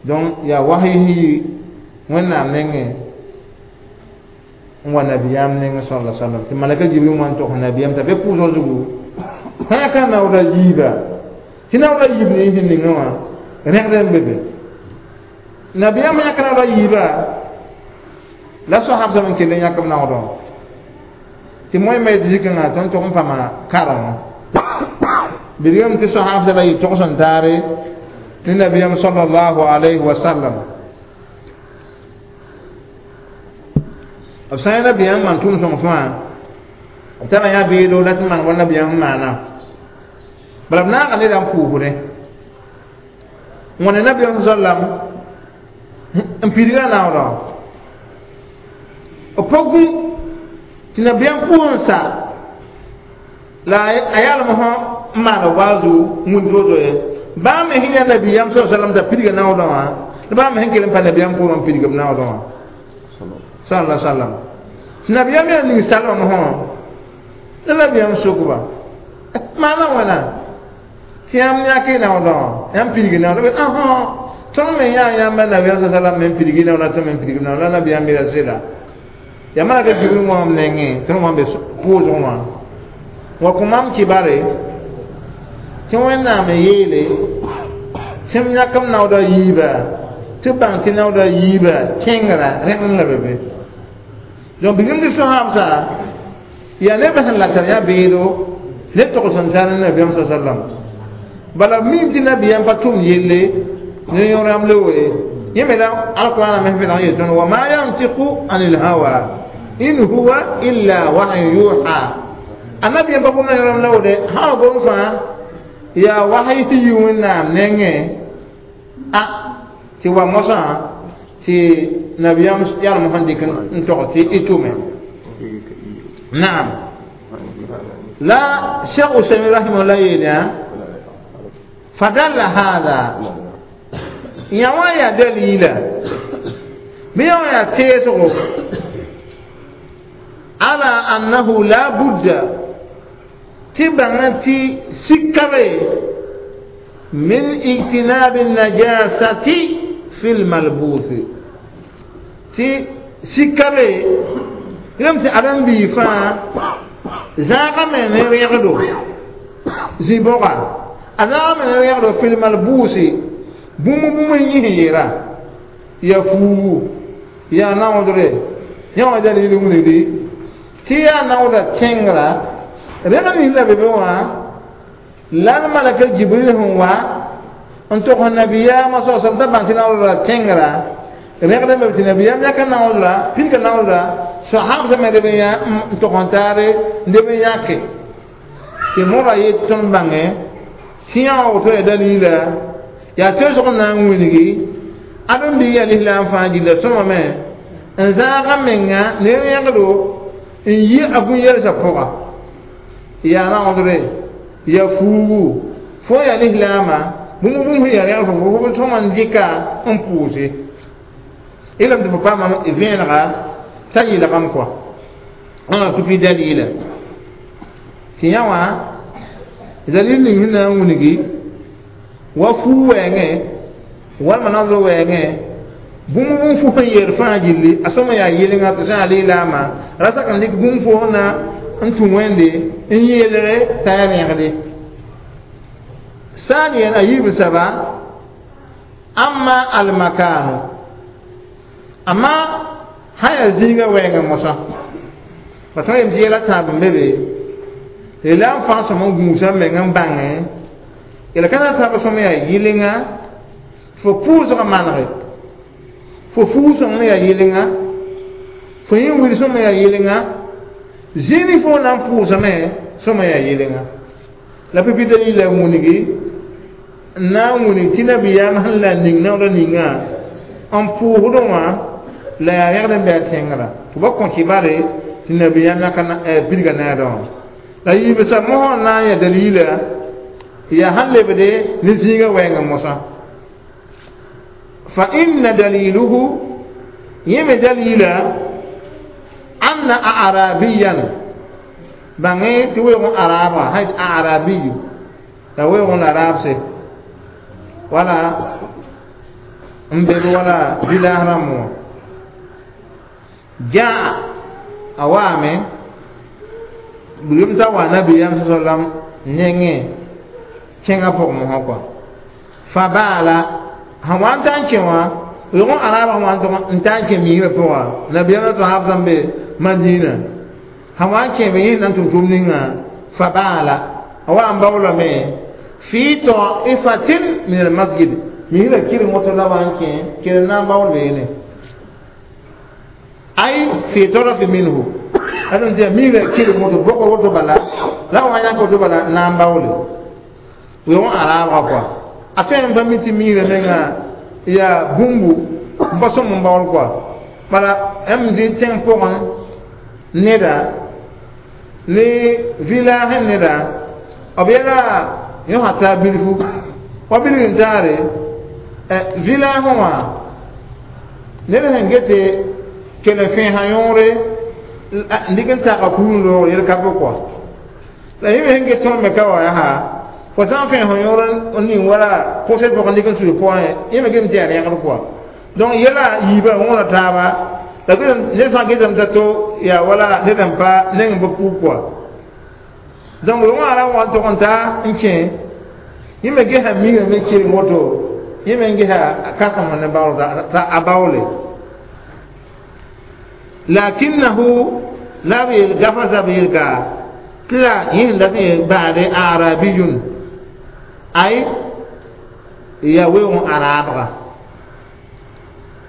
donc yaa wasy yi wẽnnaam nengẽ n wa nabiyaam nengẽ sala sallam tɩ malaka jibril wã n tog nabiyaam t'a be pʋʋsg zugu sã yãka naooda yiiba tɩ naooda yiib ne sẽn ningã wã rẽgd n be be nabiyaam yãka naooda yiiba la sohabsame n kell n yãk b naoodã wã tɩ moẽ me tɩ zikãngã tõnd tog n pãma karengã bilgame tɩ sohabsã la yɩ togs n taare ne nabiyaam sallallahu alayhi wa sallam b sã n nabiyaam maan tʋʋm sõng fãa b tara yã beedo la tɩ maan wa nabiyaam n maana bala b naaga neda n pʋʋsdẽ wãne nabiyaam sallam n pidga naoodã b pa gũ tɩ nabiyaam pʋʋs n sa la a yalem sõ n maan waazu wĩnd rozo ye baa me sẽn yaa nabiyaam sa sallam t'a pidga naoodã wã la baa me sẽn kell n pa nabiyaam pʋʋrẽ n pidg b naoodã wã sallallahu sallam tɩ nabiyaam yaa ning salmame sõ la nabiyaam sokba maana wãna tɩ yãmb yãk y naoodã wã yãmb pidg naoodã ãhã tõnd me yaa yãmba nabiyaam sa sallam me n pidg naoodã tɩ me n pidg naoodã la nabiyaam mira sɩda yaa malaka jibril wãm nengẽ tõnd wã be pʋʋsg wã wa kõ mam kibare tɩ wẽnnaam n yeele tɩ m yãk m naooda yiiba tɩ bãng tɩ naooda yiiba kẽngra rẽgd la be be donc bigim tɩ sohabsa yaa nebã sẽn la tar yaa beedo ne togs n tar ne nabiyaam sa sallam bala mim tɩ nabiyaam pa tʋm yelle ne yõor-yãmb le we yẽ me la alqurana me sẽn yel tõnd wa ma yantiqu anil hawa in huwa illa wahyu yuha a nabiyaam pa gomda yõor-yãmb la wode sã wa gom fãa yaa wasy tɩ yi wẽnnaam nengẽ a tɩ wa mosã tɩ nabiyaam yalem sẽn dɩk n tog tɩ y tʋme naam la cheikh usaymin rahimahullah yeelã fadalla hada yã wã yaa dalila bɩ yã wã yaa teesgo ala annahu la budda tɩ bãngã tɩ sika be min ijtinabi najasati fi lmalbusi tɩ sika be rem tɩ ãdem-biig fãa Zãagame ne rẽgdo zĩ-bõga a zãagame ne rẽgdo filmal buusi bũmb bũmb yĩs n yeera ya fuugu ya naoodre yã wã dalil wilgdi tɩ yaa naooda tẽngra rẽg nins la be be wã la d malaka Jibril sẽn wa n tog nabiyaamã soasam t'a bãng tɩ naoodra tẽngra rẽgd n be tɩ nabiyaam yãka naoodra pidga naoodra sahab sẽm leb n yã n tog n taare leb n yãke tɩ moga yet tõnd bãngẽ tɩ yã wã woto ya dalila yaa toosg n na n wilgi ãdem bi ya lislaam fãa gilla sõmame n zãaga menga ne rẽgdo n yi a bũn-yɛlsã pʋga yaa naoodre ya fuugu fo ya lislaamã bũmb bũmb sẽn ya rẽgd fo fo sõma n dɩka n pʋʋse ilam tɩ fo paama vẽenega t'a yɩlgame kɔa wãna tɩ pɩ dalila tɩ yã wã dalil ning sẽn na n wilgi wa fuu wɛɛngẽ walma naoodr wɛɛngẽ bũmb bũmb fo sẽn yeer fãa gilli a sõma yaa yɩlenga tɩ sã yaa lislaamã ra sak n dɩk bũmb fo sẽn na n tũ wẽnde n yeelge t'a yaa rẽgde ثانيا أيب سبا أما المكان أما هيا زيغا وينغ موسى فتوى يمشي لا تاب مبي ila n fãa sõm n gũusa meng n bãngẽ la ka na n taab sõm yaa yɩlenga fo pʋʋsg manege fo fuug sõng yaa yɩlenga fo yẽ wil sõm yaa yɩlenga zĩni fo na n pʋʋsame sõma yaa yɩlenga la pipi dalila wũnigi n na n wũnig tɩ nabiyaam sẽn la ning naoodã ninga n pʋʋsdẽ wã la yaa rẽgd n bɩ a tẽngrã tɩ ba kõ kibare tɩ nabiyaam yãka pidga naadã wã la yiibsa mosã n na n ya dalila yaa sãn lebde ne zĩigã wɛɛngã mosã fa inna daliluhu yẽ me dalila anna arabiyan bãngẽ tɩ weoog n araabga sã arabiyu la weoog n araabse wala n beb wala village rãmb wã jaa a waame bilem t'a wa nabiyaam sa sallam nengẽ kẽngã pʋgẽ mosã kɔa fa baala sẽn wa n ta n kẽ wã weoog n araabã sẽn wa n tog n ta n kẽ migrã pʋga nabiyaam la sahab sãn be Madina sẽn wa n kẽ be yẽ na n tʋm tʋʋm ninga fa baala a wa n baoolame fi ta'ifatin min al-masjid migrã kɩreng woto la wa n kẽ kẽr na n baool beene ay fi taraf minhu adan tɩ migrã kɩreng woto bogr woto bala la wa yãk woto bala na n baoole weoog n araabga kɔa a tõe n pa mi tɩ migrã menga yaa bũmbu n pa sõm n baool kɔa bala m zĩ tẽng pʋgẽ neda ne village neda b yɛla yõsã taa bilfu wa bilg n taare village wã ned sẽn gete kell n fẽesã yõore n dɩk n taga kuum loogr yel ka be kɔa la yẽ me sẽn get tõnd me ka wa yaa fo sã n fẽes yõor n ning wala kʋsd pʋgẽ dɩk n sud pʋgẽ yẽ me gem tɩ yaa rẽgd kɔa donc yɛla yiibã wõona taaba la ned sã n getame t'a to yaa wala ned n pa neng n pa puug kɔa donc wã ra wa n tog n ta n kẽ yẽ me gesa migrã me keleng woto yẽ me n gesa kãsem ne baool t'a a baoole lakinnahu la b yel gafa b yel ka tɩ la yẽ sẽn dat n yel baade arabiyun ay ya weoog n araabga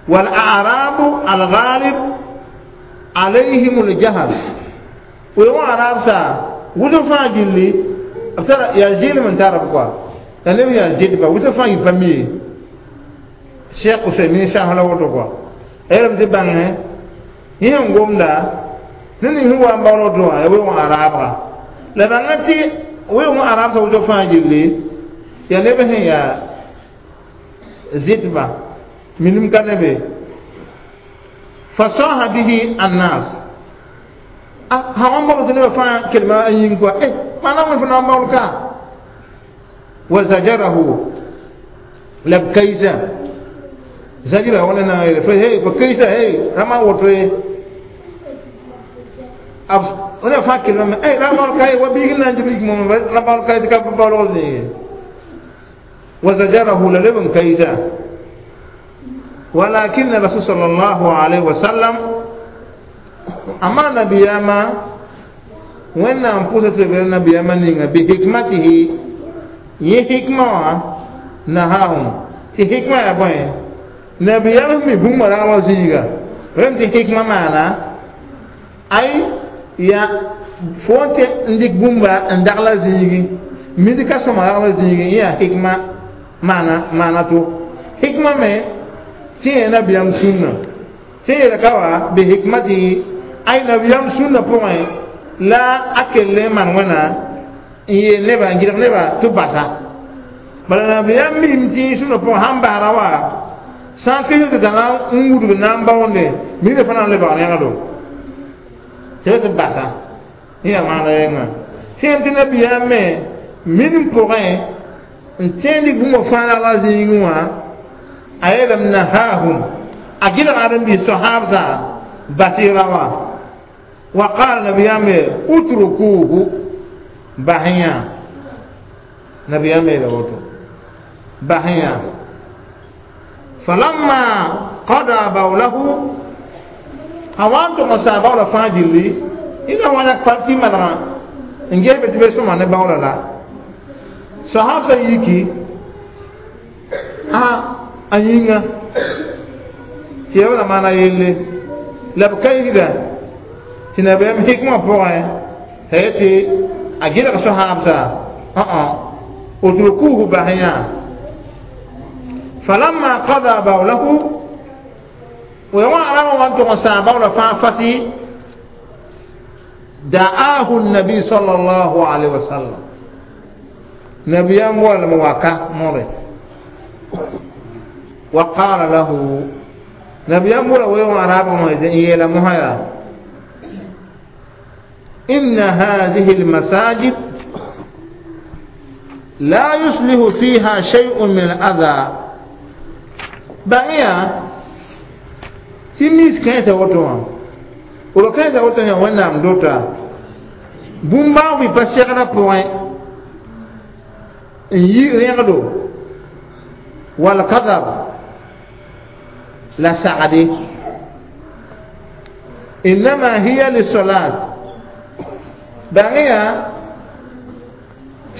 والأعراب الغالب عليهم الجهل ويقول أعراب سا وزن فا جلي أبتر يا جيل من تعرف كوا لأنه يا جيل با وزن فا يفهمي شيخ أسيمين شاه لا وتو كوا أيرم تبانه يهم قوم دا nini hu wa mbawlo do ya we wa araba la bangati we wa araba sa wuto fa jilli ya lebe hen ya zitba minim kanebe fasaha bihi annas ah ha on ba ne fa kelma ayin ko eh mana mo fa mbawlo ka wa zajarahu lab kaisa zajira wala na fa hey fa kaisa hey rama woto ab ona fa kelma ay ra baool ka ye wa biig n na n dɩb yik mom ra baool ka ye tɩ ka baoolg zĩige wa zajarahu la leb n kaɩsa ولكن الرسول صلى الله عليه وسلم أما نبياما وإن أنفسه نبياما نيغا بحكمته يه حكمة نهاهم تي حكمة يا بوي نبياما مي بوم را زيغا رم تي حكمة معنا أي يا فونت نديك بومبا ندغلا زيغي ميدي كاسو ما زيغي يا حكمة معنا معنا تو حكمة مي tɩ yẽ nabiyaam sũnna tɩ yeel ka wa bi hikmatihi ay nabiyaam sũnna pʋgẽ la a kell n maan wẽna n yeel neba n gɩdg neba tɩ basa bala nabiyaam mim tɩ sũnna pʋgẽ sãn basra wa sã n kɩs tɩ tãna n wudg na n baoonde miirã fãa na n le baoon yãgdo tɩ tɩ basa yẽ yaa maana yẽnga tẽem tɩ nabiyaam me min pʋgẽ n tẽen dɩk bũmb fãa la zĩigẽ wã أيلم نهاهم أجل عدم بالصحابة بصيرا وقال نبي أمير اتركوه بهيا نبي أمير بهيا فلما قضى بوله أوانتم أصابوا لفاجلي إذا وانا كفرتي مدغا إن جيب تبسوا من بولا لا صحابة يكي a yĩnga tɩ ya la maana yelle la b ka yigda tɩ nabiyaam hikmã pʋgẽ t'a yetɩ a gɩlg sohaabsa ã utrukuhu basyã falamma qada bawlahu wã rãmbã wa n tʋg n sãam bawla fãa fati da'ahu النبي صلى الله عليه وسلم نبيام ولا موكا موري وقال له نبي أمور ويوم عرب يلا مهيا إن هذه المساجد لا يصلح فيها شيء من الأذى بقيا تميز كيف وتوا ولو كيف وتوا ونام دوتا بومبا وي باسيغنا بوين yi rẽgdo والقدر لا سعدي إنما هي للصلاة بغيا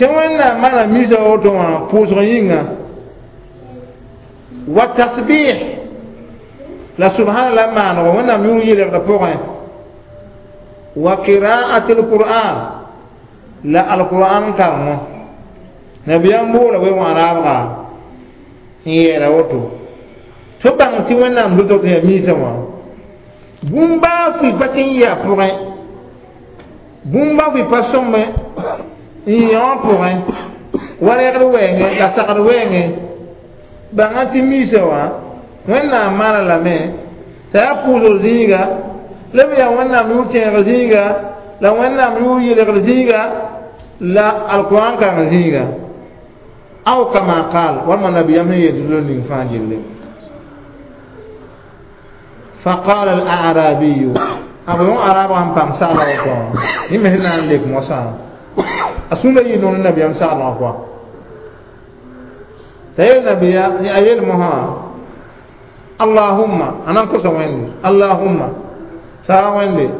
تمنى ما ميزة أوتوا بوزغينا والتسبيح لا سبحان الله ما وانا ميو يلي وقراءة القرآن لا القرآن كرمه نبيان بولا ويوانا أبغى n yeera woto tɩ bãng tɩ wẽnnaam dʋdg yaa miisã wã bũmb baa fʋɩ pa tɩ n yɩ a pʋgẽ bũmb baa fʋɩ pa sõmbe n yẽ wã pʋgẽ wa rɛgd wɛɛngẽ la sagd wɛɛngẽ bãngã tɩ miisã wã wẽnnaam maana lame t'a yaa pʋʋsg zĩiga la b yaa wẽnnaam yʋʋr tẽegr zĩiga la wẽnnaam yʋʋr yelgr zĩiga la alquran kãng zĩiga أو كما قال وما نبي يمن يدلون فاجل فقال الأعرابي أبو أعراب عن بام سأل الله يمهنا لك موسى أسوم ينون النبي يم سأل الله تيل نبي أيل مها اللهم أنا كوسا وين اللهم سا وين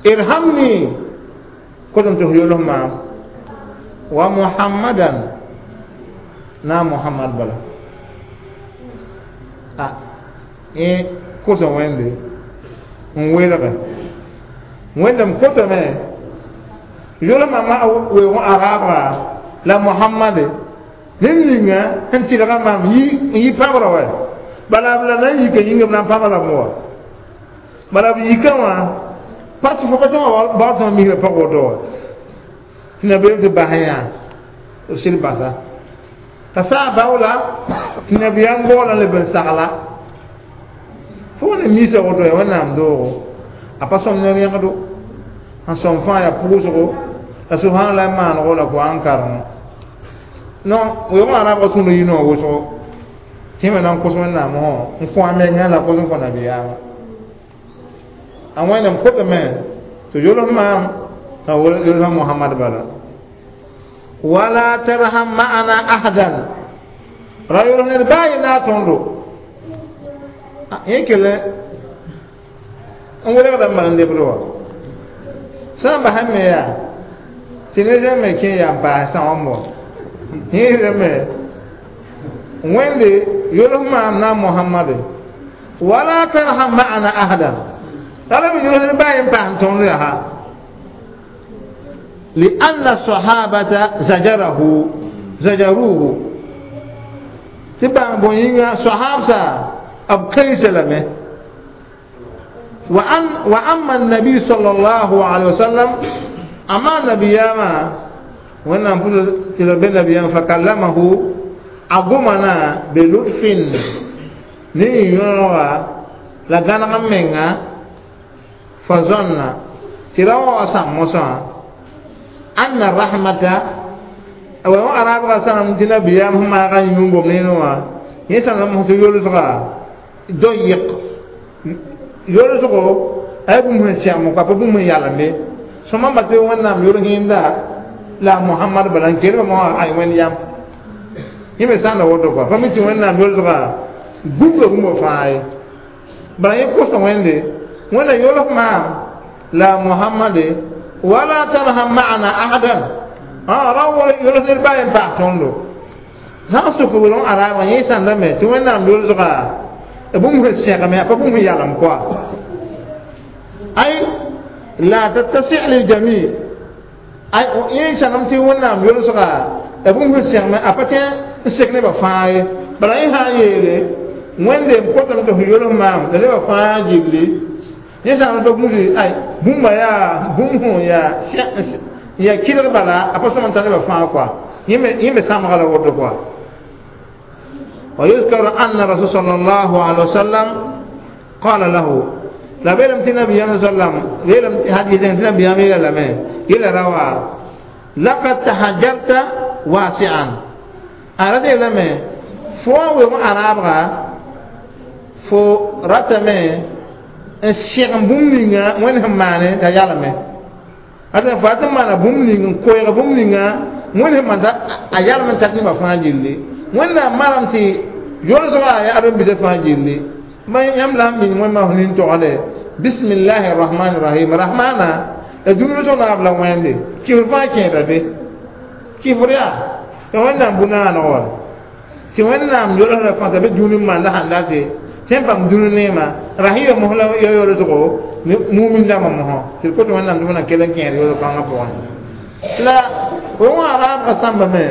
ارحمني كنتم تهيولهم ومحمدا na muhammad bala a ẽ kʋsa wẽnde n welge wẽndame kotame yʋlmã ma weoog araabga la muhammade ned ninga sẽn tɩlga maam n yi pãbrã wa bala b la na n yika yĩnga b na n pãbra b wa bala b yika wã pa tɩ fo pa tõga baood tõa misrã pag woto wa tɩ nabeem tɩ bas yã b sɩd basa t'a saa baoola tɩ nabiyaam goolã leb n sagla fo ne misa woto ya wẽnnaam doogo a pa sõm ne rẽgdo n sõm fãa yaa pʋʋsgo la subhanallah maanego la ko an karengo non weoogã arabga sũur yinoog wʋsgo tɩ me na n kos wẽnnaam wã n kõ a menga la kos n kõ nabiyaamã a wẽnnaam kotame To yolf maam yolfa Muhammad bala wala tarham ma'ana ahadan ra yolf ned baa ye na a tõndo yẽ kell n welgda n mal n lebd wa sã n basã me yaa tɩ ne zẽ me kẽ yaa n paas sã wã mo yẽ me wẽnde yolf maam na Muhammad wala tarham ma'ana ahadan la b yolf ned baa ye n paas n tõnd yaa لأن الصحابة زجروه تبع بوينغا صحابة أب كيس لمه وأما النبي صلى الله عليه وسلم أما النبي ما وانا نقول تلبي النبي فكلمه أقومنا بلطف ني يونغا لا غانا منغا فظن تراو أسام أن الرحمة أو أراب غسان تنا بيام هم أغاني يوم بمنينوا يسأل هم تيولزغا ضيق يولزغو أي بوم سيامو كابو بوم يالامي ثم باتي وانا يورهين دا لا محمد بلان كير ما أي وين يام يمي سان وودو كو فمي تي وانا يولزغا بوم بوم فاي بلان يكوسا ويندي وانا يولف ما لا محمد ولا ترحم معنا أحدا روى يولد الباين بعتون زان سكولون أرابا يسان دمي توين نام يولزغا بوم الشيخ ما بوم يعلم كوا أي لا تتسع للجميع أي يسان نام توين نام يولزغا بوم الشيخ ما أبتين الشيخ نبى فاي بلا يهايلي وين دم كتم تهيولهم مام نبى فاي جيبلي yẽsã n tɩ ay bũmba yaa bũmb yaa ya kɩlg bala a pa sõm n tar nebã fãa kɔa yẽ me sãamga la woto kɔa ويذكر أن الرسول صلى الله عليه وسلم قال له لا بيلم تنبي صلى الله عليه وسلم بيلم حديث تنبي يلا يلا روى لقد تحجرت واسعا أرد لما فو أرابغا فو رتمه n sẽg bũmb ninga wẽnd sẽn maane t'a yalame ata fo tɩ maana bũmb ning n koɛɛg bũmb ninga wẽnd sẽn maan a yalem n tat nebã fãa gilli wẽnnaam manam tɩ yolsgã yaa ãdem-biisã fãa gilli yãmb la n ming wẽnnaam nin-togde bismillahi rahmani rahim rahmana la dũni zõ naab la wẽnde kɩfr fãa kẽeda be kɩfr yaa tɩ wẽnnaam bu-naaneg wa tɩ wẽnnaam yolsdã fãa t'a be dũni n maanda sãn date sẽn paam dũni neema rahima mos la ya yolsgo mumin dãmbã mosã tɩ d kot wẽnnaam tɩ wẽnnaam kell n kẽed yolg kãngã pʋgẽ la wã raabga sãmbame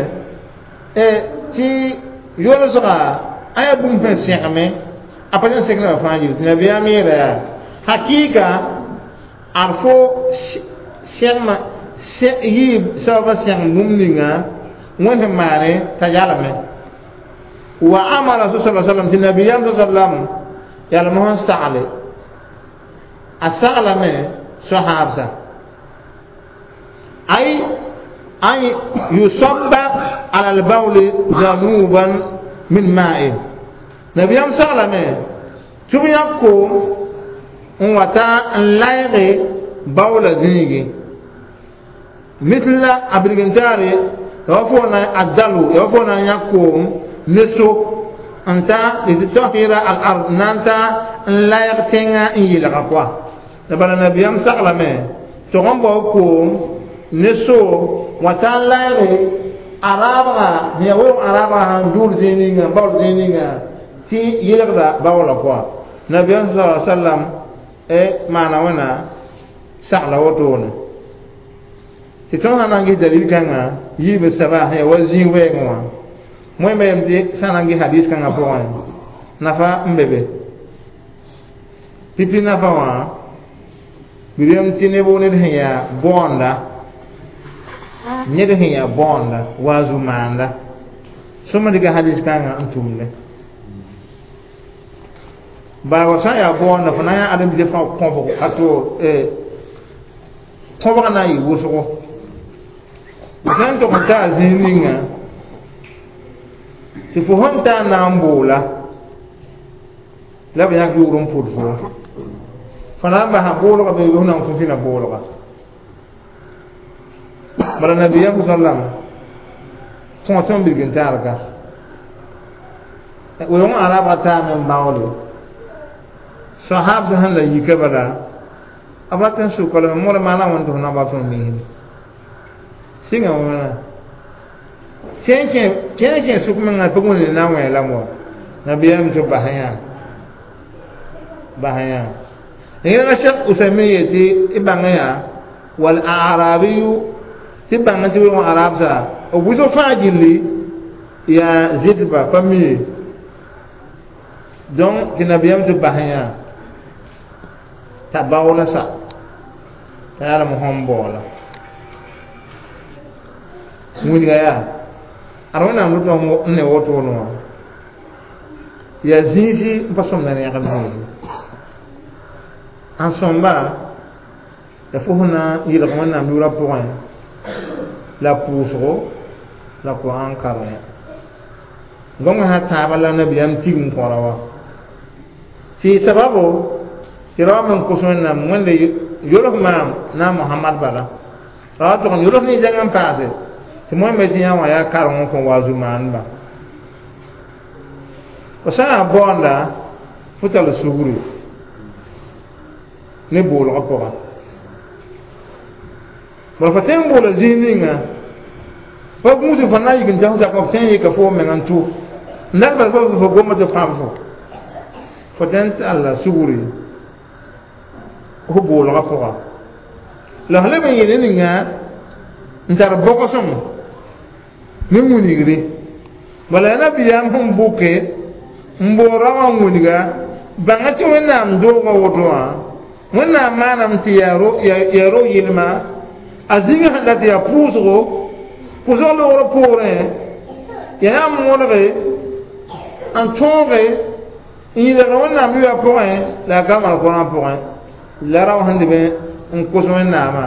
tɩ yolsga a yaa bũmb sẽn sẽgme a pa sẽn sek nebã fãa yĩl tɩ nabiyaam yeela yaa hakɩɩka ad fo sẽgmã yɩɩ sababã sẽgem bũmb ninga wẽnd sẽn maane t'a yalame wa amara rasul sallallahu alaihi wasallam tɩ nabiyaam sallam yalem sẽn sagle a saglame sohaabsa ay an yusabba ala albawli zanuban min ma'in nabiyam saglame tɩ b yãk koom n wa ta n layge baoola zĩigi mitla a birgintaare ya wa fo na a dalo ya wa fo na n yãk koom ne so n ta litutahira al ard na n ta n layg tẽngã n yelga koa la bala nabiyam saglame tɩg n bao koom ne so wa ta n layge a raabga sẽn yaa weoog a raabga sãn dʋʋr zĩig ninga baool zĩig ninga tɩ yelgda baoola koa nabiyam sa sallam maana wẽna sagla wotone tɩ tõnd sã na n ges dalil kãngã yiib saba sẽn yaa wa zĩig wɛɛngẽ wã wẽnnaam yem tɩ sã na n ges hadis kãngã pʋgẽ nafa n be be pipi nafa wã birem tɩ neb ned sẽn yaa bõonda ned sẽn yaa bõonda waazu maanda sõma dɩka hadis kãngã n tʋmde baa sã n yaa bõonda fo na n yaa ãdem-biisã fãa kõbg a to kõbg na n yɩ wʋsgo sã n tog n taa zĩig ninga tɩ fo sẽn taa na n boola la b yãk yʋgr n pʋd fo Fo na n basa boolga bee f na n fũ fĩna boolga bala nabiyaam sallam kõo tõe n bilg n taarga weoongã arabga taame n baoole sahabsã sẽn la yika bala b rat n sʋka lame mõr maana wẽnd tɩ f na ba tõe n misd sɩnga wãna kẽer kẽ sʋk mengã pʋg wẽnd na n wẽ lame wa nabiyaam tɩ bas yã bas yã yẽnga Cheikh Usaymin yetɩ y bãngã yaa wal arabiyu tɩ bãng tɩ weoongã arabsa b wʋsg fãa gilli yaa zɩtba pa mi ye donc tɩ nabiyaam tɩ bas yã t'a baoola sa t'a yaa lame sõm baoola wilga yaa ad wẽnnaam rʋtã n ne wotone wã yaa zĩisi n pa sõmda rẽgem zĩisi n sõmba la fo sẽn na n yɩlg wẽnnaam yʋʋrã pʋgẽ la pʋʋsgo la Koran karẽ gõngã sã tãabã la nabiyaam tigim kõra wa tɩ sababo tɩ ra wa me n kos wẽnnaam wẽnde yols maam na Mohamad bala ra wa tʋg n yols ne zãng n paase tɩ moẽ me tɩ yã wã yaa kareng n kõ wa zu-maandba fo sã n yaa baoonda fo tall sugri ne boolgã pʋgã bala fo tõe n boola zĩig ninga pa gũus fo na n yik n tas zakã f tõe n yɩka fo meng n tʋ n dat bal fo goma tɩ pãb fo fo tõe n talla sugri fo boolgã pʋga la f leb n yɩl ninga n tar bogosem ne wilgre bala yaa nabiyaam sẽn bʋke n boor ra wã wilga bãnga tɩ wẽnnaam doogã woto wã wẽnnaam maaname tɩ yaa ro yɩlma a zĩngã sẽn dat yaa pʋʋsgo pʋʋsg loogrã poorẽ yaa yãmb mõlge n tõoge n yɩlg wẽnnaam yʋya pʋgẽ la a ka maan Korã pʋgẽ la rao sẽn leb n kos wẽnnaamã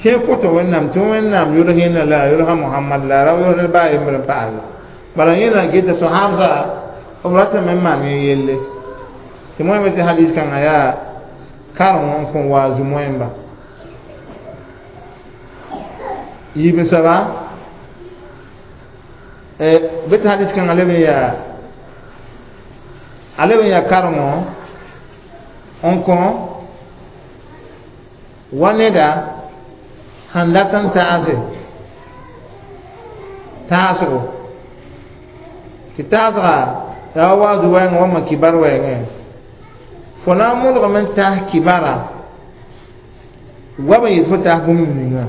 tẽ koto wẽnnaam tɩ wẽnnaam yʋls yẽnda la a yʋlsa Mohamad la a ra yʋls ned baa yembr n paase bala yẽna geta sohabsa b ratame n maan yẽ yelle tɩ moẽme tɩ hadis kãngã yaa kareng n kõn wa zu-moẽmba yiib n saba bɩ tɩ hadis kãngã leb n yaa a leb n yaa karengõ n kõ wa neda sẽn dat n taase taasgo tɩ taasga yaa wa waazu wɛɛngẽ wãmma kibar wɛɛngẽ fo na n mõdgame n taas kibara goam n yet fo taas bũmb ninga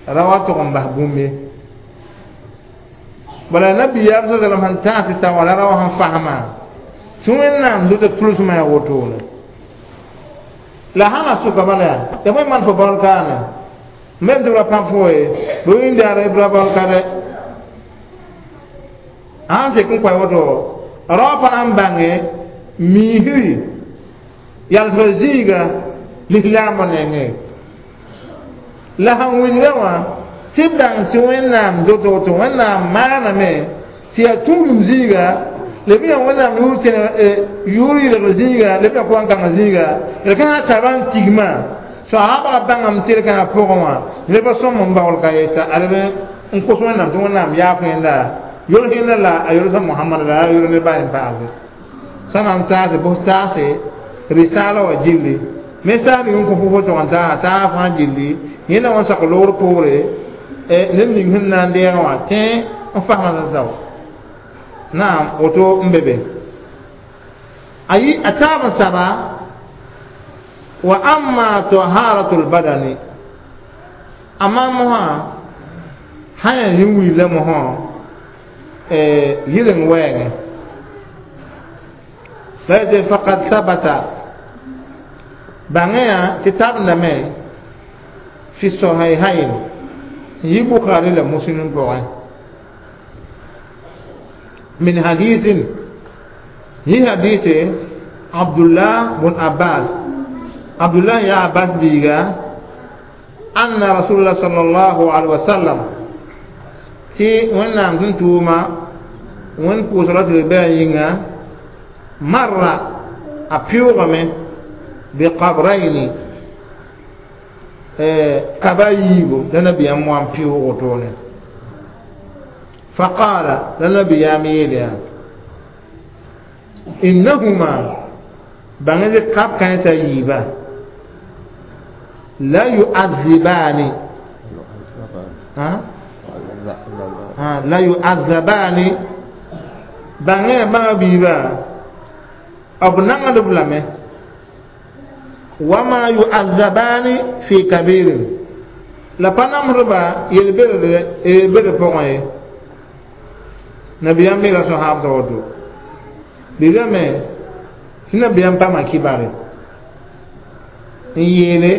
ra wa tʋg n bas bũmb ye bala nabiyaam sa sallam sẽn taas tɩ ta wã la ra wã sẽn fasma tɩ wẽnnaam dota tʋlsmã yaa wotone la sãn a sʋka bala yaa ya bõe maan fo baool kaane mem tɩ b ra pãb fo ye bɩ wĩndaar b ra baool ka dɛ sãn sek n koɛ woto rao pa na n bãnge miisri yalsga zĩiga lislaambã nengẽ la sẽn wilga wã tɩ b bãng tɩ wẽnnaam dota woto wẽnnaam maaname tɩ yaa tũudum zĩiga leb yaa wẽnnaam yʋʋr yɩlgr zĩiga leb yaa koan-kãngã zĩiga d ka sã tara n tigmã soaabga bãngame tɩ d kãngã pʋgẽ wã neb sõm n baool ka yeta a leb n kos wẽnnaam tɩ wẽnnaam yaaf yẽnda yols yẽnda la a yolsa Mohamad la a yol ne baa n paase sã na n taase bʋs taase risaala wã gilli me saam yʋn kõ fo tʋg n taasa taa fãa gilli yẽnda wã sak loogr poore ned ning sẽn na n deegã wã tẽ n fasmã tao naam woto n be be ayi a taab n saba wa amma taharatu lbadani amma mosã sã yaa yĩn wilda mosã yɩleng wɛɛngẽ la yetɩ faqad sabata bãngẽ yã tɩ tabendame fi sahihain n yɩ Bukhari la Muslim pʋgẽ min hadithin yi hadith Abdullah bun Abbas Abdullah ya Abbas biiga anna Rasulullah sallallahu alaihi wasallam tɩ wẽnnaam sẽn tʋʋma wẽnd pʋʋsgra tɩ b bɩ a yĩnga marra a pɩʋʋgame Biqabrayni kaba yiibu la nabiyam wan pɩʋʋgo toone. Faqala la nabiyam yeele yaa innahuma bãng tɩ kab kãensã yiiba la yu'adzibani la yu'adzabani bãngẽ bãnga biiba b nangdb lame wama yu'adzabani fi kabirin la pa namsdba yel-bere pʋgẽ ye. Nabiyam me la sãhaabdã woto bɩrame tɩ nabiyam paama kibare n yeele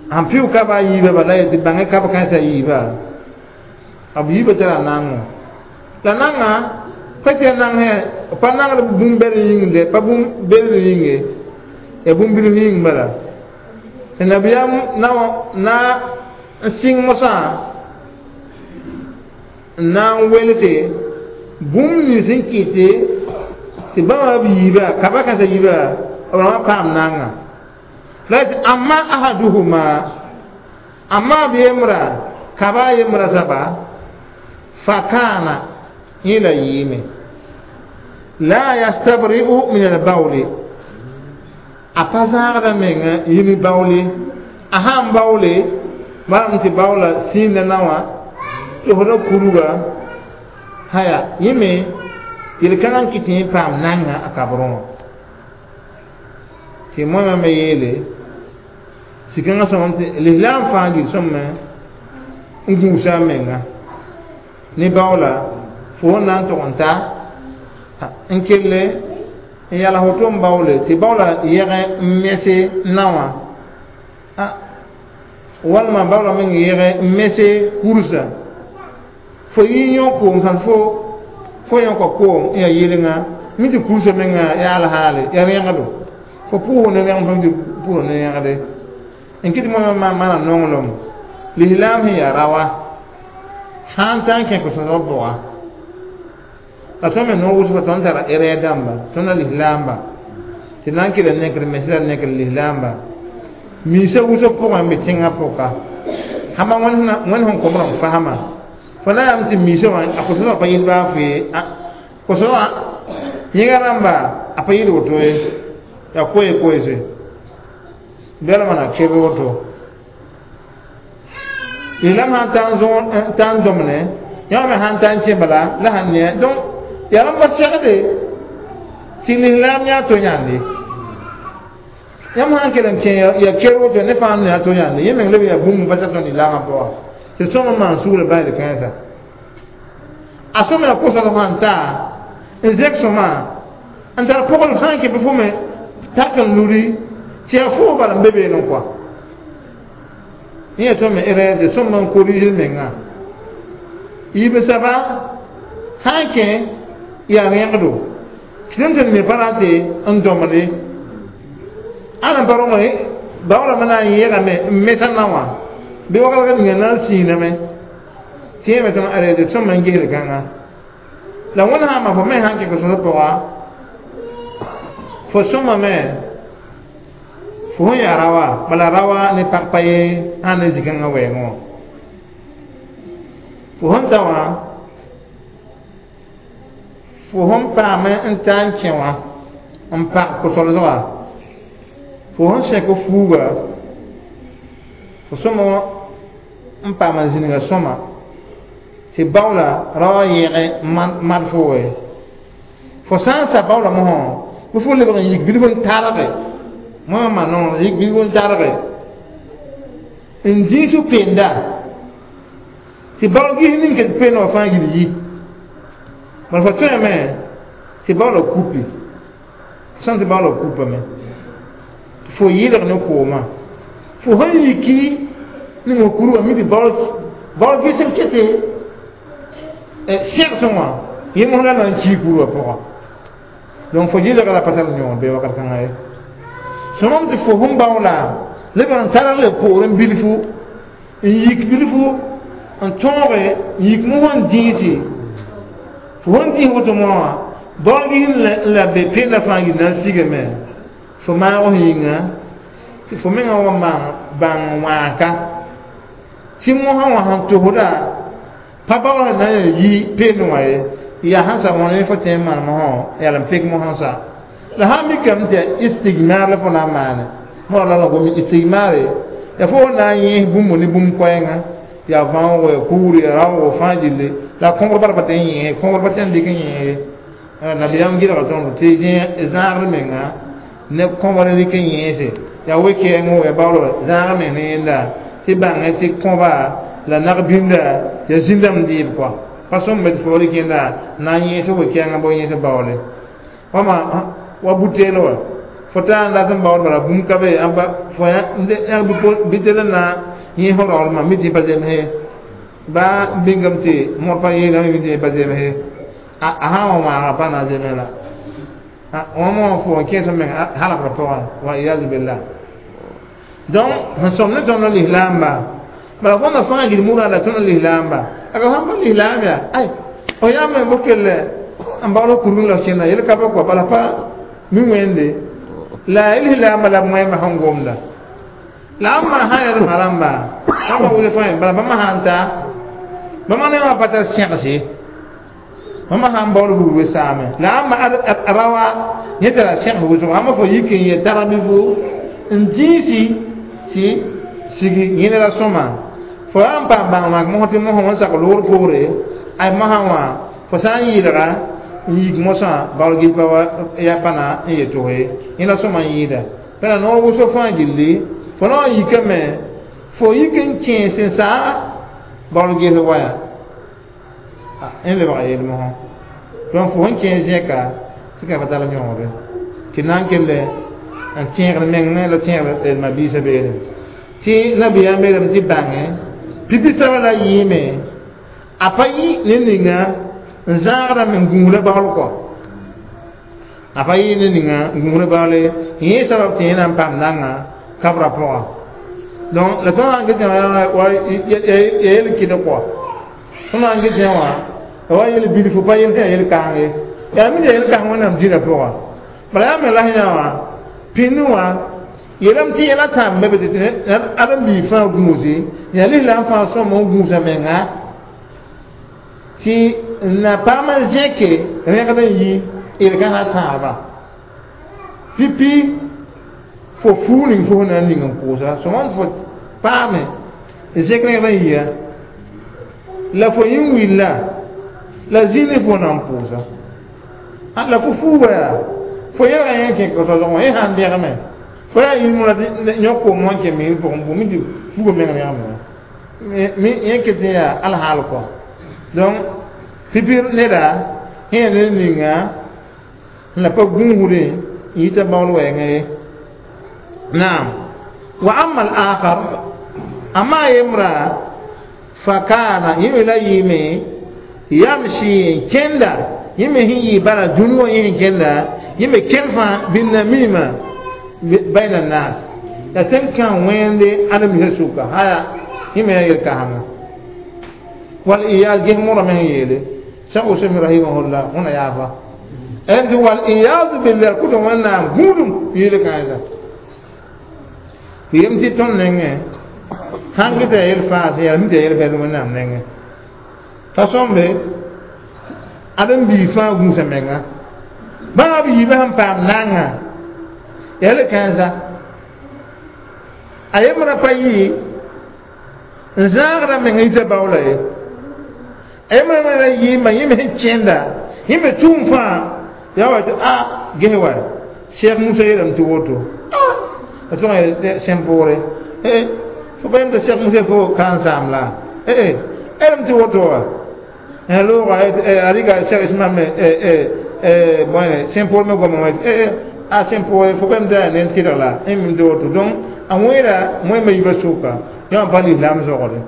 sẽn pɩʋ kaba a yiibã bala ye tɩ bãngẽ kab kãensã yiibã b yiibã tara naango la nanga pa tɩ ya nangsẽ pa nangd bũmb-bɛd yĩngde pa bũmb-bɛd yĩnge ya bũmb-bilf yĩng bala tɩ nabiyam na n sɩng mosã n na n welse bũmb nins n kɩte tɩ bãmba b yiibã kaba kãensã yiibã b rãmbã paam naanga la tɩ amma ahaduhuma amma b yembra kaba yembra saba fakana yẽ la yɩɩme la yastabri'u min albawli a pa zãagda menga yĩm baoole a sãn baoole maram tɩ baoola sĩinda na wã tɩ f ra kuruga haya yẽ me yel-kãngã n kɩt tɩ yẽ paam nanga a kabrẽ wã tɩ moẽmã me yeele sɩkãngã sõmam tɩ lislaam fãa gil sõmame n gũusa a menga ne baoola fo sẽn na n tʋg n ta n kelle n yala woto n baoole tɩ baoola yɛgẽ n mese na wã walma baoola meng yɛgẽ n mese kursa fo yĩ yõ koom sãn fo yõka koom n yaa yelengã mi tɩ kursa menga yaa alhaale yaa rẽgdo fo pʋʋs ne rẽgd fo tɩ pʋʋs ne rẽgde n kɩt moẽmã maana nonglem lislaam sẽn yaa rawa sã n ta n kẽ kʋsẽsg bʋga la tõnd me noog wʋsga tõnd tara erɛɛ dãmba tõnd la lislaamba tɩ na n kɩla nekr mens la nekr lislaamba miisã wʋsg pʋgẽ n be tẽngã pʋka hama wẽnd sẽn kom rãmb fasma fo na yam tɩ miisã wã a kʋsẽsg pa yɩl baa fo ye kʋsẽsgã yẽga rãmba a pa yɩl woto ye yaa koe koeese bɛla mana kebe woto lislaam sãn ta n dõmne yã me sãn ta n kẽ bala la sãn ne donc yaa rãmb pa segde tɩ lislaam yaa to yãnde yãmb sãn kell n kẽ ya ker woto ne fãa yaa to yãnde yẽ meng leb yaa bũmb pa tɩ lislaamã pʋga tɩ sõm n maan sugrã basd kãensa a sõm yaa kʋsg sãn ta n zẽk sõma n tar pʋgl sã n kẽ bɩ fo me tak n luri tɩ yaa foo bala n be beene kɔa yẽ tõnd me rɛɛsde sõm n korigl menga yiib saba sã n kẽ yaa rẽgdo tɩ tɩ me pa ra tɩ n dõmde ãn n pa rõng baoolame na n yɛgame n mesa na wã bɩ waglg ninga na n sĩiname tɩ yẽ me tõnd arɛɛde sõm n gesd kãnga la wẽnd sã n ma fo me sãn kẽ kʋsg pʋga fo sõmame fo sẽn yaa rawa bala rawa ne pag pa ye sãn ne zĩ-kãngã wɛɛngẽ wã fo sẽn ta wã fo sẽn paam n ta n kẽ wã n pag kʋsɔlsga fo sẽn sẽk fuuga fo sõma n paam n zĩnga sõma tɩ baoola rawa yẽge mad fo we fo sã n sa baoola mosã bɩ fo lebg n yik bilf n targe moã ma nongr yik bilf n targe n dĩis penda tɩ baool gis ning ket peen wã fãa gil yi bala fo tõeme tɩ baoola kupi sã tɩ baoola kupame fo yɩlg ne koomã fo sẽn yiki ning fo kur wã mi tɩ baool ges n kete sẽgsẽ wã yẽ mos la na n kii kur wã pʋga donc fo yɩlga la pa tar yõod bee wakat kãngã ye sõmam tɩ fo sẽn baoola leb n tar le poor n bilfu n yik bilfu n tõoge n yik mos n dĩisi fo sẽn dĩis woto moã baool gis n la be penda fãa gil na n sigame Fo maag yĩnga tɩ fo mengã wa bãng wãaka tɩ mosã wã sẽn tosda pa baool na n yi peendẽ wã ye yaa sẽn sa wã ne fo tẽ n maan mosã yaa n pek mosã sa la sãn mikame tɩ yaa istigmar la fo na n maane moa la la gom istigmare ya fo na n yẽes bũmb ne bũmb koɛɛngã yaa vãoogo ya kugri ya raoogo fãa gilli la kõbr bara pa tɩ n yẽese kõbr pa tɩ n dɩk n yẽese nabiyaam gɩlga tõnd tɩ zãagr menga ne kõbr rɩk n yẽese yaa we-kɛɛngõ ya baool zãag meng ne yẽnda tɩ bãngẽ tɩ kõba la nag-bĩnda ya zĩndame dɩɩb kɔa pa sõmbe tɩ fo rɩk yẽnda na n yẽes we-kɛɛngã bo yẽes baoole wama wa buteel wa fo taa n dat n baood bala bũmb ka be fo bitel n na yẽ fo raoolmã mi tɩ pa zemse ba bĩngame tɩ mõr pa yeelame mi tɩ pa zemse a sã n wa wãaga pa na n zemse la wãma wã fo n kẽes meng halgrã pʋgã wa iyazu billah donc sẽn sõm ne tõnd lislaamba bala fõnda fãa gil murã la tõnd lislaamba aga sãn pa lislaam yaa ay fo yaa me bo kell n baool kurgẽ la kẽnda yel ka pa kɔa bala pa mi wẽnde la lislaamba la b wẽmba sẽn gomda la ãmba sã yaa d rãmba bãmba wʋsg tõe bala bãmba sãn ta bãmba ne wã pa tar sẽgse bãmba sãn baool buud we saame la ãmba rawa yẽ tara sẽgs wʋsgo ãmba fo yik n yɛ tara bɩ fo n dĩisi tɩ sigi yẽne la sõma fo yaa n paam bãng mak mosã tɩ mosã wã n sak loor poore ay mosã wã fo sã n yɩlga n yik mosã baool gil pa ya pa na n yetʋse yẽ la sõma n yɩɩda pẽna noor wʋsg fãa gilli fo na n yikame fo yik n kẽes n saa baool ges waya n lebga yel mosã donc fo sẽn kẽes zẽka tɩ ka pa tar yõogre tɩ na n kell n tẽegd meng me la tẽegd mabiisã beene tɩ nabiyaam beelame tɩ bãngẽ pipi saba la yɩɩme a pa yɩ ne ninga n zãagdame n gũusda baool kɔ a pa yɩ ne ninga n gũusda baoole yẽ sabab tɩ yẽ na n paam nanga kabra pʋga donc la tõnd sãn get wa yel kɩd kɔ tõnd sãn get wã wa yel bilfu pa yel sẽn yel kãng ye yaa mi yel kãng wẽnnaam dĩnã pʋga bala yaa me la sẽn wã pĩnd wã yeelame tɩ yɛla tãmba be tɩ ãdem-biig fãa gũuse yaa lislaam fãa sõm n gũusa menga tɩ n na paam n zẽke rẽgd n yi d ka na tãaba pipi fo fuu ning fo na n ning n pʋʋsa sõma fo paame zẽk rẽgd n yia la fo yĩn willa la zĩni fo na n pʋʋsa la fo fuuba yaa fo yɛlga yẽ kẽ tɔsg wã yẽ sãn bẽgme fo yaa yĩn yõk koom wã n kẽ miir pʋgẽ bʋ mi tɩ fuga meng rẽgme yẽ ket n yaa alhaal kɔ donc pipi neda yẽ ne ninga la pa gũusdẽ n yita baool wɛɛngã ye naam wa ama al-akhar amma yemra fakana yẽ me la yɩɩme yamsi n kẽnda yẽ me sẽn yɩ bala dũni wã yẽ sẽn kẽnda yẽ me kẽn fãa bɩnnamima bayna nas la tẽn kã wẽnde ãdem-biisã sʋka haya yẽ me yaa yel-kãsenga wal iyaz ges mõra me sẽn yeele Cheikh Useymin rahimahullah wẽna yaafa tɩ wal iyazu billah kʋtã wẽnnaam gũudum yɩɩle kãensa yem tɩ tõnd nengẽ sãn geta yel faas yaa mi tɩ yel vɛl wẽnnaam nengẽ pa sõmbe ãdem-biig fãa gũusa menga bãmb b yiibã sẽn paam nanga yɛl kãensa a yembrã pa yɩ n zãagrã menga yita baoola ye a yembrã me ra yɩɩma yẽ me sẽn kẽnda yẽ me tʋʋm fãa yaa wa tɩ a ges wa Cheikh Musa yeelame tɩ woto a tõg sẽn poore fo pa yem t'a Cheikh Musa fo ka n saam la elame tɩ woto wa looga a rɩka Cheikh Ismail me bõe sẽn poor me goamã wã a sẽn poore fo pa yem t'a yaa ned tɩrg la n mim tɩ woto donc a wẽera wẽmba yiibã sʋka yã wã pa lislaam zogre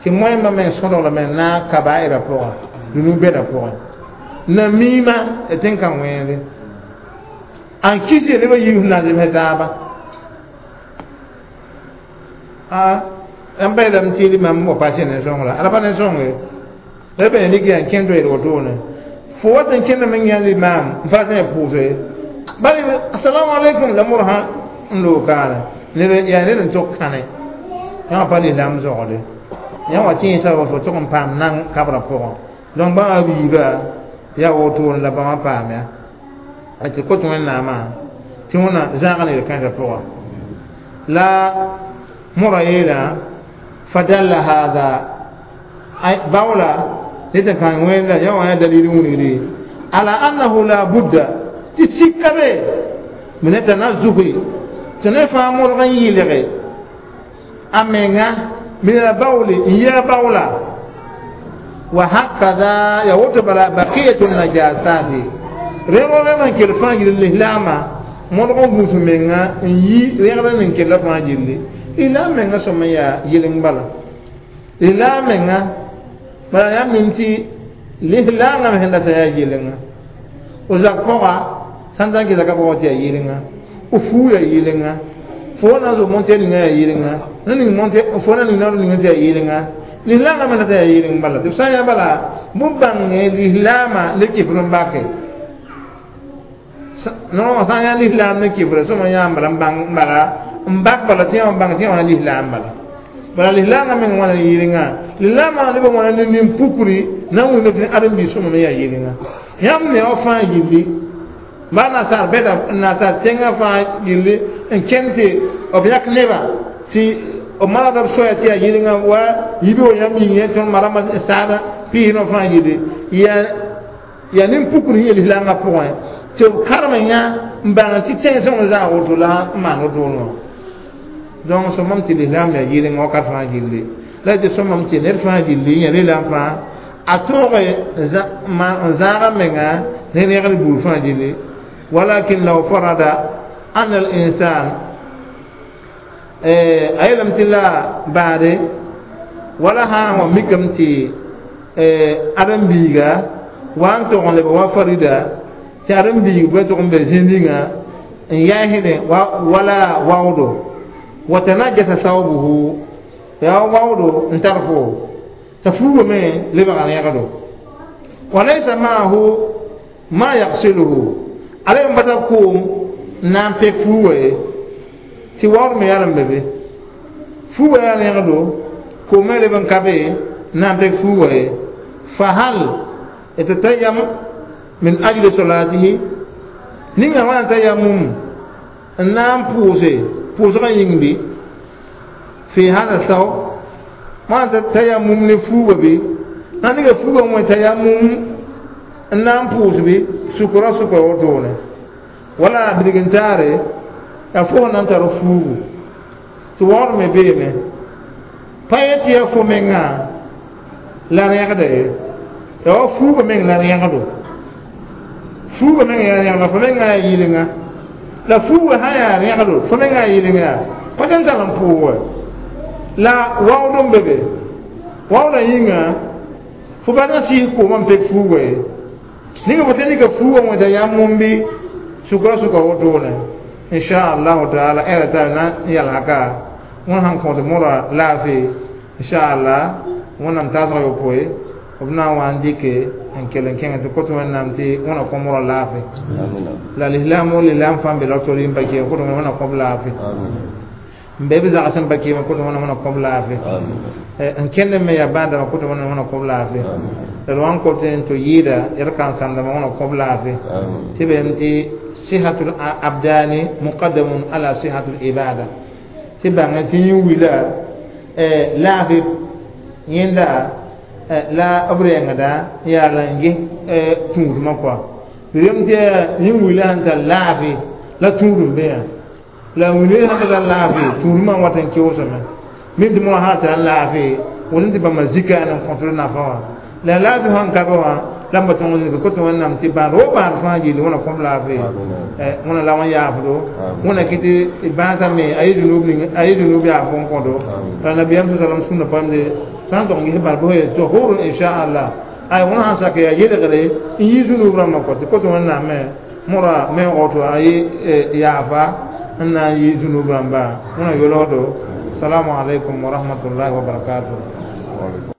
tɩ wẽmba meng sõdg lame n naag kabaɩrã pʋga dũnu-bɛdã pʋgẽ namima tɩ n ka wẽende an kis ye nebã yiib sẽn na n zemsɛ taaba n pa yeelame tɩ limam wa pa sẽn ne sõngra ala pa ne sõnge la b rik yaa n kẽnd toeed wotone fo wat n kẽndame n yã limaam n pa tɩ pʋʋse Bari assalamu alaikum la murha n loog kaane ned yaa ned n tʋg kãne yã wã pa lislaam zogde yã wa tẽesa fo tʋg n paam nan kabrã pʋgẽ donc bãmba biiba yaa wotone la bãmba paam ya tɩ kot wẽnnaamã tɩ wẽna zãag ned kãensã pʋgã la mora yeelã fadalla hada bawla ned n kãng wẽnda yã wã yaa dalil wilgre ala annahu la budda tɩ sika be min tanazuhi tɩ ne fãa modg n yɩlge a menga min al bawli n yɛg bawla wa hakada ya woto bala baqiyatu najasati rẽgr rẽg n kell fãa yɩl lislaamã modg n gũus menga n yi rẽgr n kella fãa yelle lislaam menga sõm n yaa yɩleng bala lislaam menga bala yaa mim tɩ lislaangã me sẽn data yaa yɩlenga o zak pʋga sãn tã n kɩ zaka pʋgã tɩ yaa yɩlenga o fuu yaa yɩlenga fo na n zo monte ninga yaa yɩlenga na ning monte fo na ning naoor ninga tɩ yaa yɩlenga lislaangã me data yaa yɩleng bala tɩ b sã n yaa bala bõ bãnge lislaamã ne kɩfr n bake no sã n yaa lislaam ne kɩfr sõma yã n bala n bãng bala n bak bala tɩ yã bãng tɩ yã wã lislaam bala bala lislaangã meng wãna yɩlenga lislaamã neb wãna ne nin-pukri na n wilg tɩ ãdem-biis sõma me yaa yɩlenga yãmb me wa fãa yilli ba nasaar bɛda nasaar tẽngã fãa yilli n kẽnd tɩ b yãk neba tɩ b manegda b soaya tɩ yaa yɩlenga wa yibi wa yãmb yĩng tõnd marama saada piisnã fãa yilli yaa nin-pukr sẽn yel lislaangã pʋgẽ tɩ b karem yã n bãng tɩ tẽng sõng zaa woto la n maan wotone wã donc sõmam tɩ lislaam yaa yɩlenga wakat fãa gilli la tɩ sõmam tɩ ned fãa gilli yã lislaam fãa a tõoge n zãaga menga ne rẽgd buud fãa gilli walakin law farada ana al insan a yeelame tɩ la baade wala sã n wa mikame tɩ ãdem-biiga wa n tog n leb wa farida tɩ ãdem-biig bɩ tʋg n be zĩnd n yaasdẽ wala waoodo wa tanajasa sawbuhu yaa waoodo n tar fo t'a fuuga me lebga rẽgdo wa laysa maahu ma yagsiluhu ala n bata koom n na n pek fuuga ye tɩ waood me yaa n be be fuuga yaa rẽgdo koom me leb n ka be n na n pek fuuga ye fa hal yatatayam min ajli salatihi ninga wã n tayamum n na n pʋʋse pʋʋsgã yĩng bɩ fi hada saw wã n tayamum ne fuuga bɩ na nega fuuga wẽ tayamum n na n pʋʋs bɩ sukra sʋka wotone wala bilg-n-taare yaa fo na n tar fuugu tɩ waood me beeme pa yet tɩ yaa fo mengã la rẽgda ye yaa wa fuuga meng la rẽgdo fuuga meng yaa rẽgdo fo mengã yaa yɩlenga la fuuga sã yaa rẽgdo fo mengã yaa yɩlenga yaa pa tɩ n tar n pʋʋge la waood n be be waoodã yĩnga fo pa na sɩs koomã n pek fuuga ye ninga fo tɩ nika fuuga wẽta yãmb mum bɩ sukra sʋka wotone inchallahu taala ɛra tar na n yalsga wẽn sãn kõt mora laafɩ inchallah wẽnnaam taasg yopoe b na n wa n dɩke n kell n kẽng tɩ kot wẽnnaam tɩ wẽna kõ mora laafɩ la lislaam o lislaam fãa n be doctor n pa kɩ kot wẽna kõb laafɩ n be b zags n pa kɩɩmã kot wẽna wẽna kõb laafɩ n kẽnd me yaa bãadama kot wẽna wẽna kõb laafɩ la d wa n kot n tɩ yɩɩda d kãensãmdãmã wẽna kõb laafɩ tɩ beem tɩ sihatul abdani muqaddamun ala sihatul ibada tɩ bãng tɩ yẽ wila laafɩ yẽnda la b rengda yaa la n ges tũudmã kɔa rem tɩ yẽ wila sẽn tar laafɩ la tũudum be yã la wilẽ sẽn ka tar laafɩ tũudmã wat n keoosame min tɩ moa sã tar laafɩ wʋn tɩ bãmba zika n kõtd nafa wã la laafɩ sãn ka be wã la n pa tõng zĩig kot wẽnnaam tɩ bãad wo bãad fãa yɩl wẽna kõb laafɩ wẽna la wã yaafdo wẽna kɩ tɩ bãasã me a yɩ dũnub yaaf n kõdo la nabiyaam sa salam sũnda pamde sã n tog n ges bãad bʋ tohurun inchallah ay wẽna sãn sak yaa yelgre n yɩ dũnub rãmbã kɔ tɩ kot wẽnnaam me mõra meoog to a yɩ yaafa n na n yɩ dũnub rãmba wẽna yolgdo salamu alaikum wa rahmatullahi wa barakatuh.